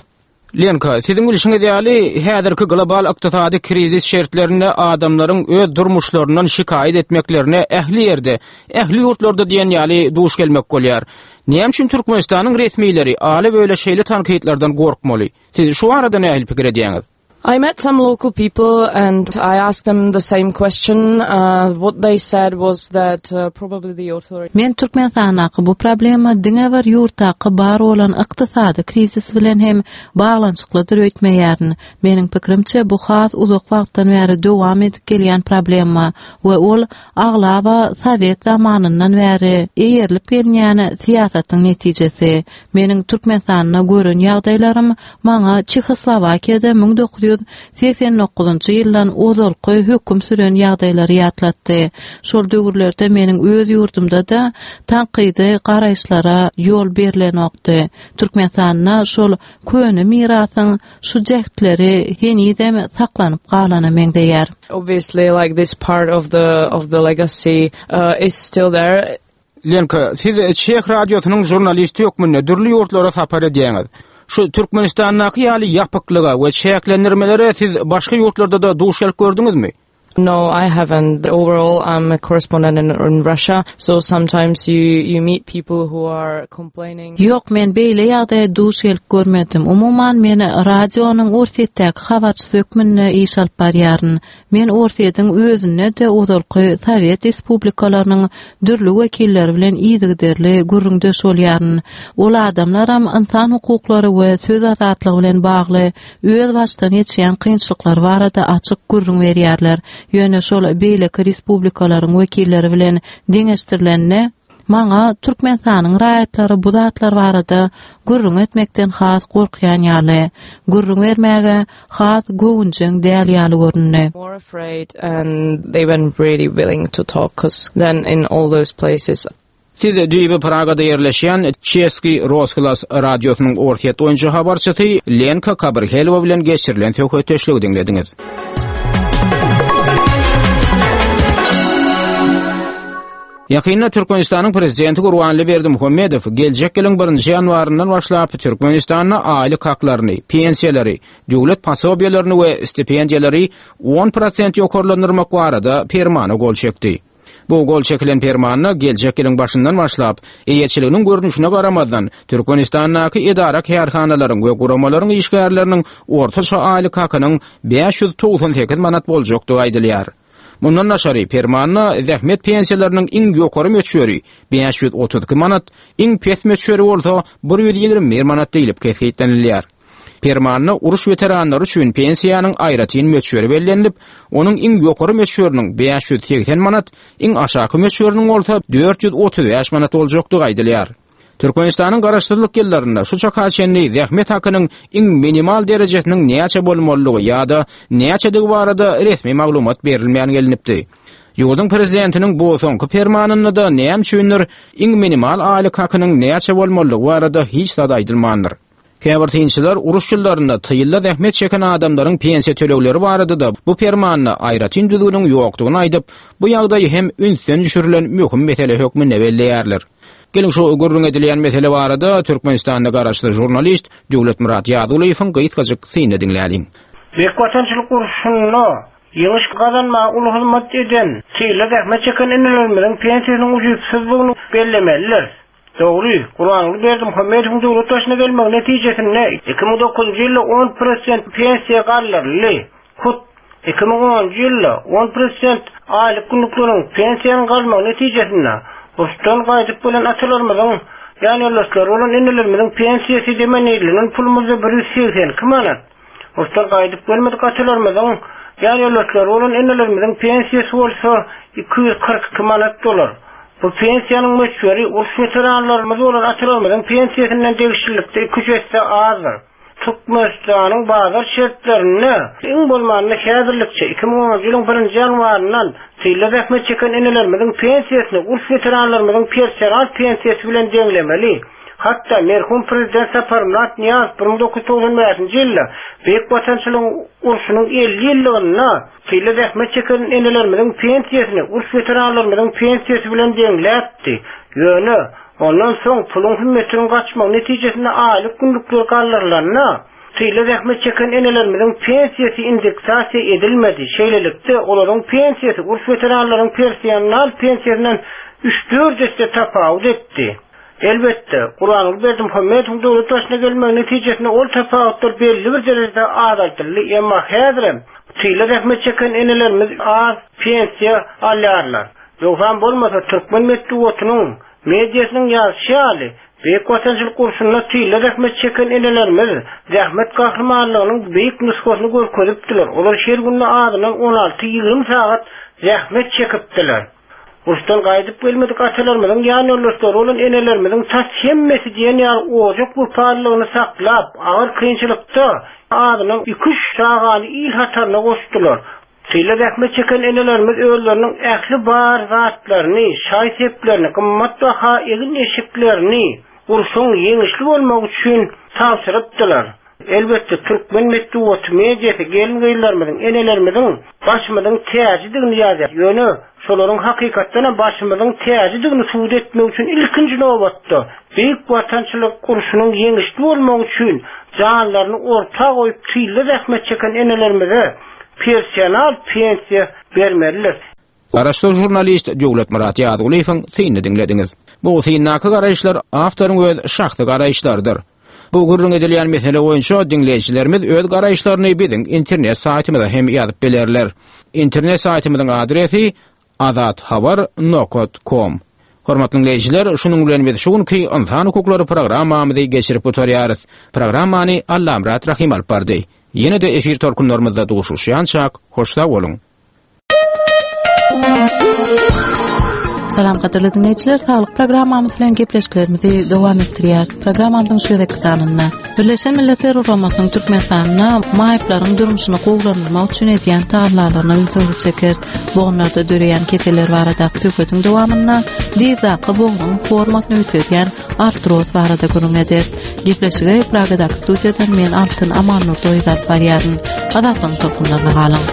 Lenka, siziň bilşiňiz ýaly häzirki global ykdysady krizis şertlerinde adamlaryň öz durmuşlaryndan şikaýat etmeklerine ähli ýerde, ähli ýurtlarda diýen ýaly duş gelmek bolýar. Näme üçin Türkmenistanyň resmileri aly böyle şeýle tankytlardan gorkmaly? Siz şu arada nähili pikir edýäňiz? I met some local people and I asked them the same question. Uh, what they said was that uh, probably the authorities Men Türkmenistandaky bu problema diňe bir ýurtdaky bar bolan ykdysady krizis bilen hem baglanyşyklydyr öýtmeýärin. Meniň pikirimçe bu has uzak wagtdan bäri dowam edip gelýän problema we ol aglaba Sowet zamanyndan bäri eýerlip gelinýän syýasatyň netijesi. Meniň Türkmenistanda gören ýagdaýlarym maňa Çehoslowakiýada müň dokuz ýüz dokuz ýüz segsen dokuzynjy ýyldan ozalky höküm süren ýagdaýlary ýatlatdy. Şol döwürlerde meniň öz ýurdumda-da tankydy garaýyşlara ýol berlenokdy. Türkmenistanda şol köne mirasyň şu jähtleri henizem saklanyp galana meňzeýär. Obviously, like this part of the of the legacy uh, is still there. Lenka, siz Çeh radiosynyň žurnalisti hökmünde dürli ýurtlara sapar edýäňiz. Şu Türkmenistandaky ýaly ýapyklyga we çäklendirmelere siz başga ýurtlarda-da duş gelip gördüňizmi? No, I haven't. Overall, I'm a correspondent in, in Russia, so sometimes you, you meet people who are complaining. Ýok, men beýle ýagdaýa duş gelip görmedim. Umuman, men radionyň Orsýetdäki habarçysy hökmünde iş alyp barýaryn. Men Orsýetiň özünde-de ozalky Sowet respublikalarynyň dürli wekilleri bilen yzygiderli gürrüňdeş bolýaryn. Ol adamlaram ynsan hukuklary we söz azatlygy bilen bagly öz başdan geçýän kynçylyklary barada açyk gürrüň berýärler. Ýöne şol beýleki respublikalaryň wekilleri bilen deňeşdirilende, maňa Türkmenistanyň raýatlary bu zatlar barada gürrüň etmekden has gorkýan ýaly, gürrüň bermäge has göwünjeň däl ýaly göründi. More afraid and they weren't really willing to talk, 'cause then in all those places. Siz düýbi Pragada ýerleşýän Çeski Rozglas radiosynyň Orsýet boýunça habarçysy Lenka Kabrhelowa bilen geçirilen söhbetdeşligi diňlediňiz. Ýakynda Türkmenistanyň Prezidenti Gurbanguly Berdimuhamedow geljek ýylyň birinji ýanwaryndan başlap Türkmenistanda aýlyk haklaryny, pensiýalary, döwlet posobiýalaryny we stipendiýalary on prosent ýokarlandyrmak barada permana gol çekdi. Bu gol çekilen permanda geljek ýylyň başyndan başlap eýeçiliginiň görnüşine garamazdan Türkmenistandaky edara kärhanalaryň we guramalaryň işgärleriniň ortaça aýlyk hakynyň bäş ýüz togsan sekiz manat boljakdygy aýdylýar. Mundan daşary permanda zähmet pensiýalarynyň iň ýokary möçberi bäş ýüz otuz iki manat, iň pes möçberi bolsa bir ýüz ýigrimi bir manat diýlip kesgitlenilýär. Permanda uruş weteranlary üçin pensiýanyň aýratyn möçberi bellenilip, onuň iň ýokary möçberiniň bäş ýüz segsen manat, iň aşaky möçberiniň bolsa dört ýüz otuz bäş manat boljakdygy aýdylýar. Türkmenistanyň garaşsyzlyk ýyllarynda şu çaka çenli zähmet hakynyň iň minimal derejesiniň näçe bolmalydygy ýa-da näçedigi barada resmi maglumat berilmän gelinipdi. Ýurduň prezidentiniň bu soňky permanynda-da näme üçindir iň minimal aýlyk hakynyň näçe bolmalydygy barada hiç zat aýdylmandyr. Käbir synçylar uruş ýyllarynda tylla zähmet çeken adamlaryň pensiýa tölegleri barada-da bu permanda aýratyn düzgüniň ýokdugyny aýdyp, bu ýagdaýy hem ünsden düşürilen möhüm mesele hökmünde belleýärler. Geliň şu gürrüň edilýän mesele barada Türkmenistanda garaşsyz žurnalist Döwletmyrat Ýazulyýewiň gysgajyk synyny diňläliň. Beýik Watançylyk urşunda ýeňiş gazanmaga uly hyzmat eden tylla zähmet çeken enelerimiziň pensiýasynyň ujypsyzdygyny bellemelidir. Dogry, Gurbanguly Berdimuhamedowyň döwlet başyna gelmegi netijesinde iki müň dokuzynjy ýylda on prosent pensiýa galdyryldy. Hut iki müň onunjy ýylda on prosent aýlyk günlükleriň pensiýanyň galmagy netijesinde uruşdan gaýdyp gelen atalarymyzyň, ýanýoldaşlary bolan enelerimiziň pensiýasy demenirlenen pulumyzda bir ýüz segsen iki manat. Uruşdan gaýdyp gelmedik atalarymyzyň, ýanýoldaşlary bolan enelerimiziň pensiýasy bolsa iki ýüz kyrk iki manat bolar. Bu pensiýanyň möçberi uruş weteranlarymyz bolan atalarymyzyň pensiýasyndan degişlilikde iki üç esse azdyr. Türkmenistanyň bazar şertlerinde iň bolmanda häzirlikçe iki müň onunjy ýylyň birinji ýanwaryndan tylla zähmet çeken enelerimiziň pensiýasyny uruş weteranlarymyzyň personal pensiýasy bilen deňlemeli. Hatda merhum prezident Saparmyrat Nyýazow bir müň dokuz ýüz togsan bäşinji ýylda Beýik Watançylygyň urşunyň elli ýyllygynda tylla zähmet çeken enelerimiziň pensiýasyny uruş weteranlarymyzyň pensiýasy bilen deňläpdi. Ýöne ondan soň puluň hümmetiniň gaçmagy netijesinde aýlyk günlükler galdyrylanda tylla zähmet çeken enelerimiziň pensiýasy indeksasiýa edilmedi. Şeýlelikde olaryň pensiýasy uruş weteranlaryň personal pensiýasyndan üç-dört esse tapawut etdi. Elbetde, Gurbanguly Berdimuhamedowyň döwlet başyna gelmegi netijesinde ol tapawutlar belli bir derejede azaltyldy, emma häzirem tylla zähmet çeken enelerimiz az pensiýa alýarlar. Ýogsam bolmasa türkmen metbugatynyň, mediasynyň ýazyşy ýaly, Beýik Watançylyk urşunda tylla zähmet çeken enelerimiz zähmet gahrymanlygynyň beýik nusgasyny görkezipdiler. Olar her günde azyndan on alty ýigrimi sagat zähmet çekipdiler. Uruşdan gaýdyp gelmedik atalarymyzyň ýan ýoldaşlary bolan enelerimiziň tas hemmesi diýen ýaly ojak wepalylygyny saklap, agyr kynçylykda azyndan iki-üç çagany il hataryna goşdular. Tylda zähmet çeken enelerimiz özleriniň ähli bar zatlaryny, şaý-seplerini, gymmatbaha egin-eşiklerini urşuň ýeňişli bolmagy üçin tabşyrypdylar. Elbetde, türkmen metbugaty, mediasy gelin-gyzlarymyzyň, enelerimiziň başymyzyň täjidigini ýazýar. Ýöne şolaryň hakykatdanam başymyzyň täjidigini subut etmek üçin ilkinji nobatda Beýik Watançylyk urşunyň ýeňişli bolmagy üçin janlaryny orta goýup tylda zähmet çeken enelerimize personal pensiýa bermelidir. Garaşsyz žurnalist Döwletmyrat Ýazgulyýewiň synyny diňlediňiz. Bu syndaky garaýyşlar awtoryň öz şahsy garaýyşlarydyr. Bu gürrüň edilýän mesele boýunça diňleýjilerimiz öz garaýyşlaryny biziň internet saýtymyza hem ýazyp bilerler. Internet saýtymyzyň adresi azathabar nokat kom. Hormatly diňleýjiler, şunuň bilen biz şu günki Ynsan hukuklary programmamyzy geçirip gutarýarys. Programmany Allamyrat Rahym alyp bardy. Ýene-de efir tolkunlarymyzda duşuşýançak, hoş sag boluň. Salam gadyrly dinleýjiler, saglyk programmamyz bilen gepleşiklerimizi dowam etdirýäris. Programmamyzyň şu gezekki sanynda Birleşen Milletler Guramasynyň Türkmenistanda maýyplaryň durmuşyny gowulandyrmak üçin edýän tagallalaryna ünsüňizi çekeris. Bogunlarda döreýän keseller baradaky söhbetiň dowamynda dyzdaky bognuň formasyny üýtgedýän artroz barada gürrüň ederis. Gepleşigi Pragadaky studiýadan men Altyn Amannurdoýew alyp barýaryn. Azatlygyň tolkunlaryna galyň.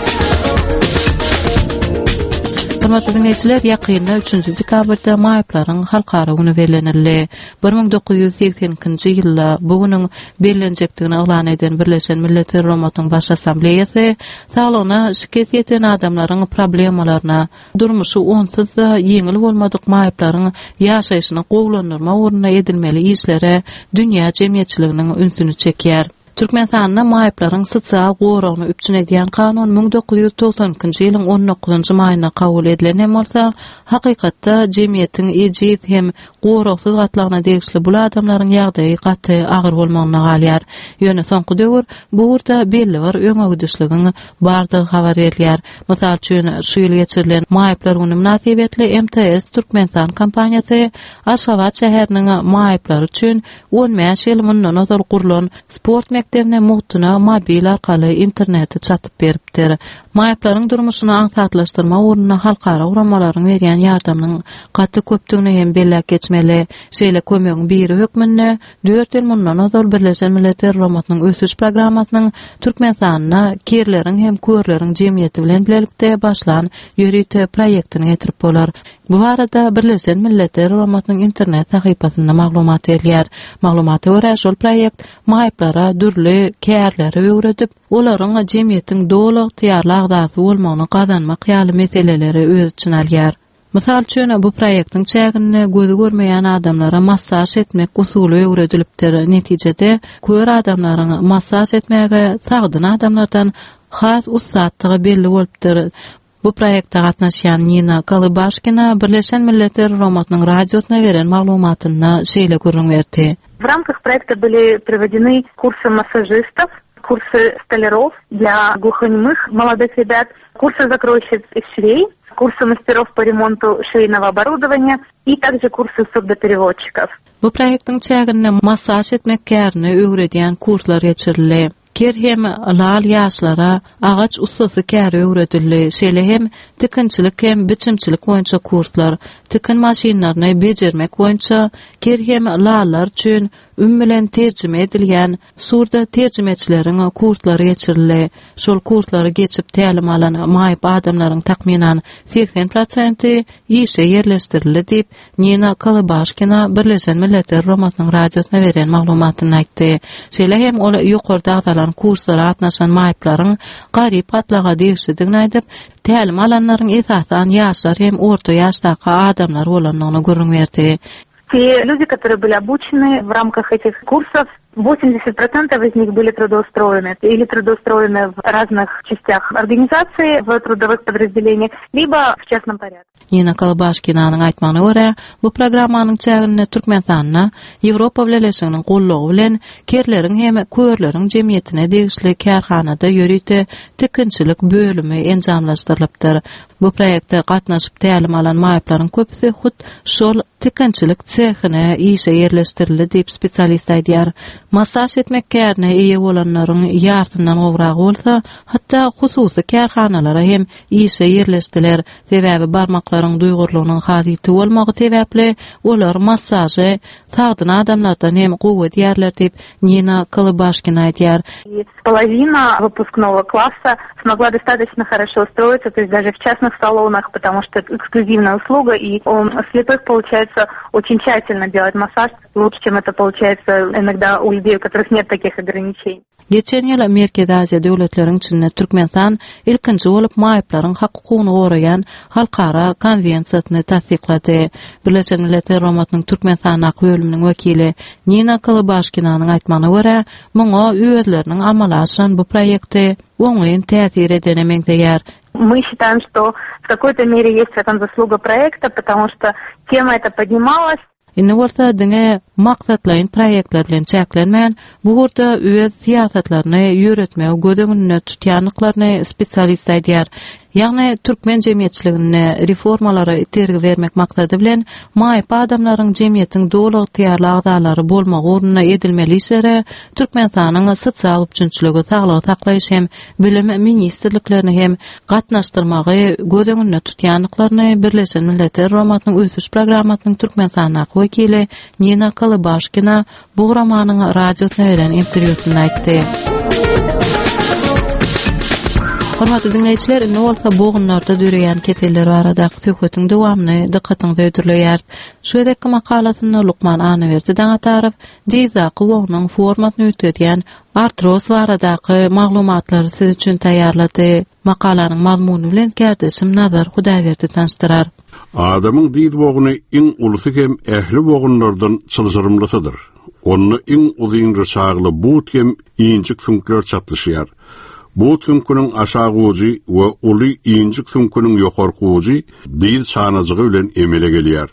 Hormatly diňleýjiler, ýakynda üçünji dekabrda maýyplaryň halkara güni bellenildi. Bir müň dokuz ýüz segsen ikinji ýylda bu günüň bellenjekdigini yglan eden Birleşen Milletler Guramasynyň Baş Assambleýasy saglygyna şikes ýeten adamlaryň problemalaryna, durmuşy onsuz-da ýeňil bolmadyk maýyplaryň ýaşaýşyny gowulandyrmak ugrunda edilmeli işlere dünýä jemgyýetçiliginiň ünsüni çekýär. Türkmenistanda maýyplaryň sosial goragyny üpjün edýän kanun müň dokuz ýüz togsan ikinji ýylyň on dokuzynjy maýynda kabul edilen hem bolsa, hakykatda jemgyýetiň ejiz hem goragsyz gatlagyna degişli bul adamlaryň ýagdaýy gaty agyr bolmagynda galýar. Ýöne soňky döwür bu ugurda belli bir öňegidişligiň bardygy habar berilýär. Mysal üçin, şu ýyl geçirilen Maýyplar güni mynasybetli M T S Türkmenistan kompaniýasy Aşgabat şäheriniň maýyplary üçin on bäş ýyl mundan ozal gurlan sport mekdebine mugtuna mobil arkaly interneti çatyp beripdir. Maýyplaryň durmuşyny aňsatlaşdyrmak ugrunda halkara guramalaryň berýän ýardamynyň gaty köpdügini hem belläp geçmeli. Şeýle kömegiň biri hökmünde dört ýyl mundan ozal Birleşen Milletler Guramasynyň ösüş programmasynyň Türkmenistanda kerleriň hem körleriň jemgyýeti bilen bilelikde başlan ýörite proýektini getirip bolar. Bu barada Birleşen Milletler Guramasynyň internet sahypasynda maglumat berilýär. Maglumata görä, şol proýekt maýyplara dürli kärleri öwredip, olaryň jemgyýetiň doly ygtyýarly agzasy bolmagyny gazanmak ýaly meseleleri öz içine alýar. Mysal üçin, bu proýektiň çäginde gözi görmeýän adamlara massaž etmek usuly öwredilipdir. Netijede, kör adamlaryň massaž etmäge sagdyn adamlardan has ussatdygy belli bolupdyr. Bu proýekte gatnaşýan Nina Kalybaşkina Birleşen Milletler Guramasynyň radiosyna beren maglumatynda şeýle gürrüň berdi. В рамках проекта были проведены курсы массажистов, курсы столяров для глухонемых молодых ребят, курсы закройщиц и швей, курсы мастеров по ремонту швейного оборудования и также курсы сурдопереводчиков. Bu proýektiň çäginde massaž etmek kärini öwredýän kurslar geçirildi. Ker hem lal ýaşlara agaç ussasy käri öwredildi. Şeýle hem tikinçilik hem biçimçilik boýunça kurslar, tikin maşynlaryny bejermek boýunça ker hem lallar üçin üm bilen terjime edilýän surda terjimeçileriň kurslary geçirildi. Şol kurslary geçip tälim alan maýyp adamlaryň takmynan seksen prosenti işe ýerleşdirildi diýip Nina Kalybaşkina Birleşen Milletler Guramasynyň radiosyna beren maglumatyny aýtdy. Şeýle hem ol ýokarda agzalan kurslara gatnaşan maýyplaryň garyp gatlaga degişlidigini aýdyp, tälim alanlaryň esasan ýaşlar hem orta ýaşdaky adamlar bolandygyny gürrüň berdi. Те люди, которые были обучены в рамках этих курсов, восемьдесят процентов из них были трудоустроены или трудоустроены в разных частях организации, в трудовых подразделениях, либо в частном порядке. Nina Kalybaşkinanyň aýtmagyna görä, bu programmanyň çäginde Türkmenistanda Ýewropa Bileleşiginiň gollugy bilen kerleriň hem körleriň jemgyýetine degişli kärhanada ýörite tikinçilik bölümi enjamlaşdyrylypdyr. Bu proýekte gatnaşyp tälim alan maýyplaryň köpüsi hut şol tikinçilik sehine işe ýerleşdirildi diýip spesialist aýdýar. Massaž etmek kärine eýe bolanlaryň ýartyndan gowragy bolsa, hatda hususy kärhanalara hem işe ýerleşdiler. Sebäbi barmaklaryň duýgurlygynyň has ýiti bolmagy sebäpli olar massažy sagdyn adamlardan hem gowy edýärler diýip Nina Kalabaşkina aýdýar. И половина выпускного класса смогла достаточно хорошо устроиться, то есть даже в частных салонах, потому что это эксклюзивная услуга, и у слепых получается очень тщательно делать массаж, лучше, чем это получается иногда у людей, у которых нет таких ограничений. Geçen ýyl Merkezi Aziýa döwletleriň içinde Türkmenistan ilkinji bolup maýyplaryň hukugyny goraýan halkara konwensiýasyny tassyklady. Birleşen Milletler Guramasynyň Türkmenistandaky bölüminiň wekili Nina Kalabaşkinanyň aýtmagyna görä, muňa özleriniň amala aşyran bu proýekti oňyn täsir edene meňzeýär. Мы считаем, что в какой-то мере есть в этом заслуга проекта, потому что тема эта поднималась. Indi bolsa diňe maksatlaýyn proýektler bilen çäklenmän, bu ugurda öz syýasatlaryny ýöretmegi göz öňünde tutýandyklaryny spesialist aýdýar. Ýagny türkmen jemgyýetçiliginde reformalara itergi bermek maksady bilen maýyp adamlaryň jemgyýetiň doly ygtyýarly agzalary bolmagy ugrunda edilmeli işlere Türkmenistanyň sosial üpjünçiligi, saglygy saklaýyş hem bilim ministrliklerini hem gatnaşdyrmagy göz öňünde tutýandyklaryny Birleşen Milletler Guramasynyň ösüş programmasynyň Türkmenistandaky wekili Nina Kalabaşkina bu guramanyň radiosyna beren interwýusynda aýtdy. Hormatly diňleýjiler, indi bolsa bogunlarda döreýän keseller baradaky söhbetiň dowamyny dykgatyňyza hödürleýäris. Şu gezekki makalasynda Lukman Annaberdi Daňatarow dizdaky bognuň formasyny üýtgedýän artroz baradaky maglumatlary siz üçin taýýarlady. Makalanyň mazmuny bilen kärdeşim Nazar Hudaýberdi tanyşdyrar. Adamyň diz bogny iň ulusy hem ähli bogunlardan çylşyrymlysydyr. Onda iň uzyn ryçagly but hem injik süňkler çatlyşýar. But süňküniň aşagy ujy we uly injik süňküniň ýokarky ujy diz çanajygy bilen emele gelýär.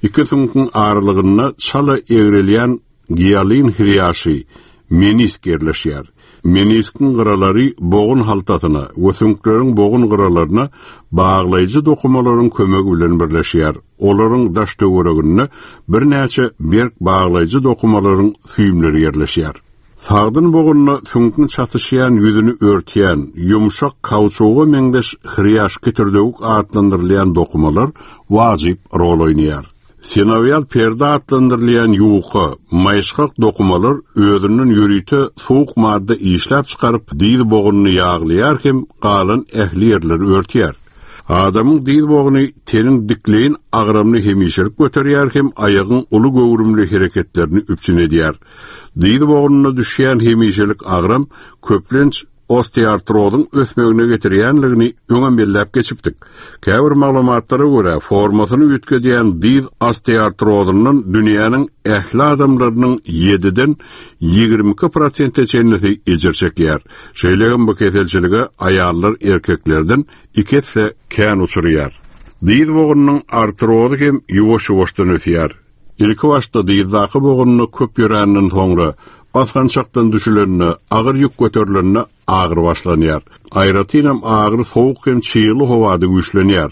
Iki süňküň aralygynda çala egrelýän gialin hriýaşy menisk ýerleşýär. Meniskiň gyralary bogun haltasyna we süňkleriň bogun gyralaryna baglaýjy dokumalaryň kömegi bilen birleşýär. Olaryň daş töwereginde birnäçe berk baglaýjy dokumalaryň süýümleri ýerleşýär. Sagdyn bogunna süňküň çatyşýan ýüzüni örtýän, ýumşak kauçuga meňzeş hriýaş kitirdewük atlandyrylýan dokumalar wajyp rol oýnaýar. Sinowial perde atlandyrylýan ýuka, maýyşgak dokumalar özünden ýörite soğuk madda işläp çykaryp diz bogunyny ýaglaýar hem galan ähli ýerleri örtýär. Adamyň diz bogny teniň dikleýin agramly hemişelik göterýär hem aýagyň uly göwrümli hereketlerini üpjün edýär. Diz bognuna düşýän hemişelik agram köplenç osteoartrozyň ösmegine getirýänligini öňem belläp geçipdik. Käbir maglumatlara görä formasyny üýtgedýän diz osteoartrozyndan dünýäniň ähli adamlarynyň ýediden ýigrimi iki prosente çenlisi ejir çekýär. Şeýle hem bu keselçilige aýallar erkeklerden iki esse kän uçurýar. Diz bognunyň artrozy hem ýuwaş-ýuwaşdan ösýär. Ilki başda dizdaky bogunyny köp ýöränden soňra basgançakdan düşülenine, agyr ýük göterilenine agyr başlanýar. Aýratynam agyr soğuk hem çygly howada güýçlenýär.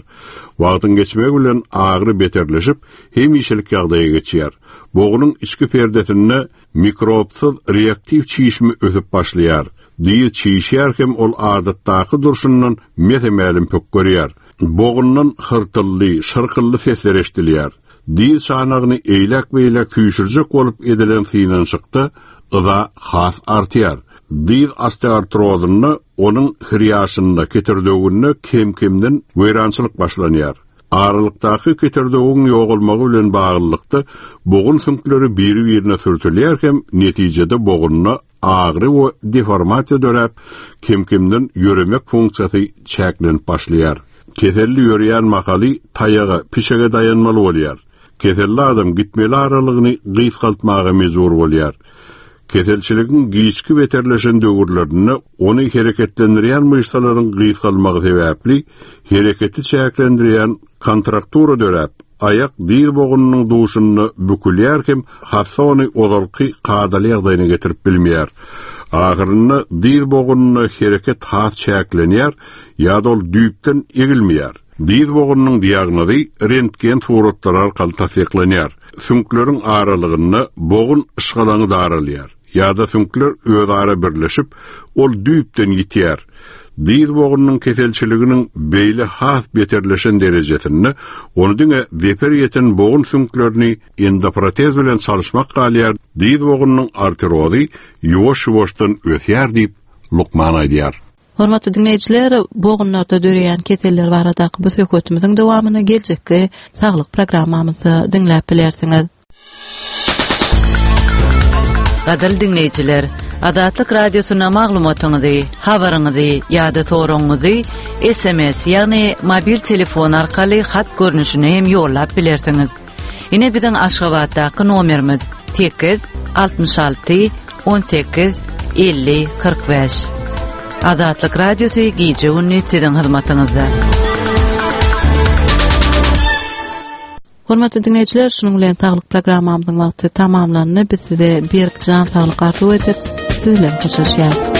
Wagtyň geçmegi bilen agyry beterleşip, hemişelik ýagdaýa geçýär. Bogunyň içki perdesinde mikrobsyz reaktiw çişme ösüp başlaýar. Diz çişýär hem ol adatdaky durşundan mese-mälim pök görýär. Bogundan hyrtylly, şyrkylly sesler eşidilýär. Diz çanagyny eýläk-beýläk süýşürjek bolup edilen synanyşykda yza has artýar. Diz osteoartrozynda onuň hriýaşynda ketirdewünde kem-kemden weýrançylyk başlanýar. Aralykdaky ketirdewüň ýogalmagy bilen baglylykda bogun süňkleri biri-birine sürtülýär hem netijede bogununa agyry we deformasiýa döräp, kem-kemden ýöremek funksiýasy çäklenip başlaýar. Keselli ýörýän mahaly taýaga, pişege daýanmaly bolýar. Keselli adam gitmeli aralygyny gysgaltmaga mejbur bolýar. Keselçiligiň giçki beterleşen döwürlerinde ony hereketlendirýän myşsalaryň gysgalmagy sebäpli hereketi çäklendirýän kontraktura döräp, aýak diz bogunyň duşunda bükülýär hem hassa ony ozalky kadaly ýagdaýyna getirip bilmeýär. Ahyrynda diz bogunyna hereket has çäklenýär ýa-da ol düýpden egilmeýär. Dyz bogunyň diagnozy rentgen suratlary arkaly tassyklanýar. Süňkleriň aralygynda bogun yşgalaňy daralýar ýa-da süňkler özara birleşip, ol düýpden ýitýär. Dyz bogunyň keselçiliginiň beýle has beterleşen derejesinde ony diňe zeper ýeten bogun süňklerini endoprotez bilen çalyşmak galýar. Dyz bogunyň artrozy ýuwaş-ýuwaşdan ösýär diýip lukman aýdýar. Hormatly diňleýjiler, bogunlarda döreýän keseller baradaky bu söhbetimiziň dowamyny geljekki saglyk programmamyzda diňläp bilersiňiz. Gadyrly diňleýjiler, Azatlyk Radiosyna maglumatyňyzy, habaryňyzy ýa-da soragyňyzy S M S, ýagny mobil telefon arkaly hat görnüşinde hem ýollap bilersiňiz. Ine biziň Aşgabatdaky nomerimiz sekiz altmyş alty on sekiz elli kyrk bäş. Azatlyk Radiosy gije gündüz siziň hyzmatyňyzda. Hormatly diňleýjiler, şunuň bilen saglyk programmamyzyň wagty tamamlandy. Biz size berk jan saglyk arzuw edip, siz bilen hoşlaşýarys.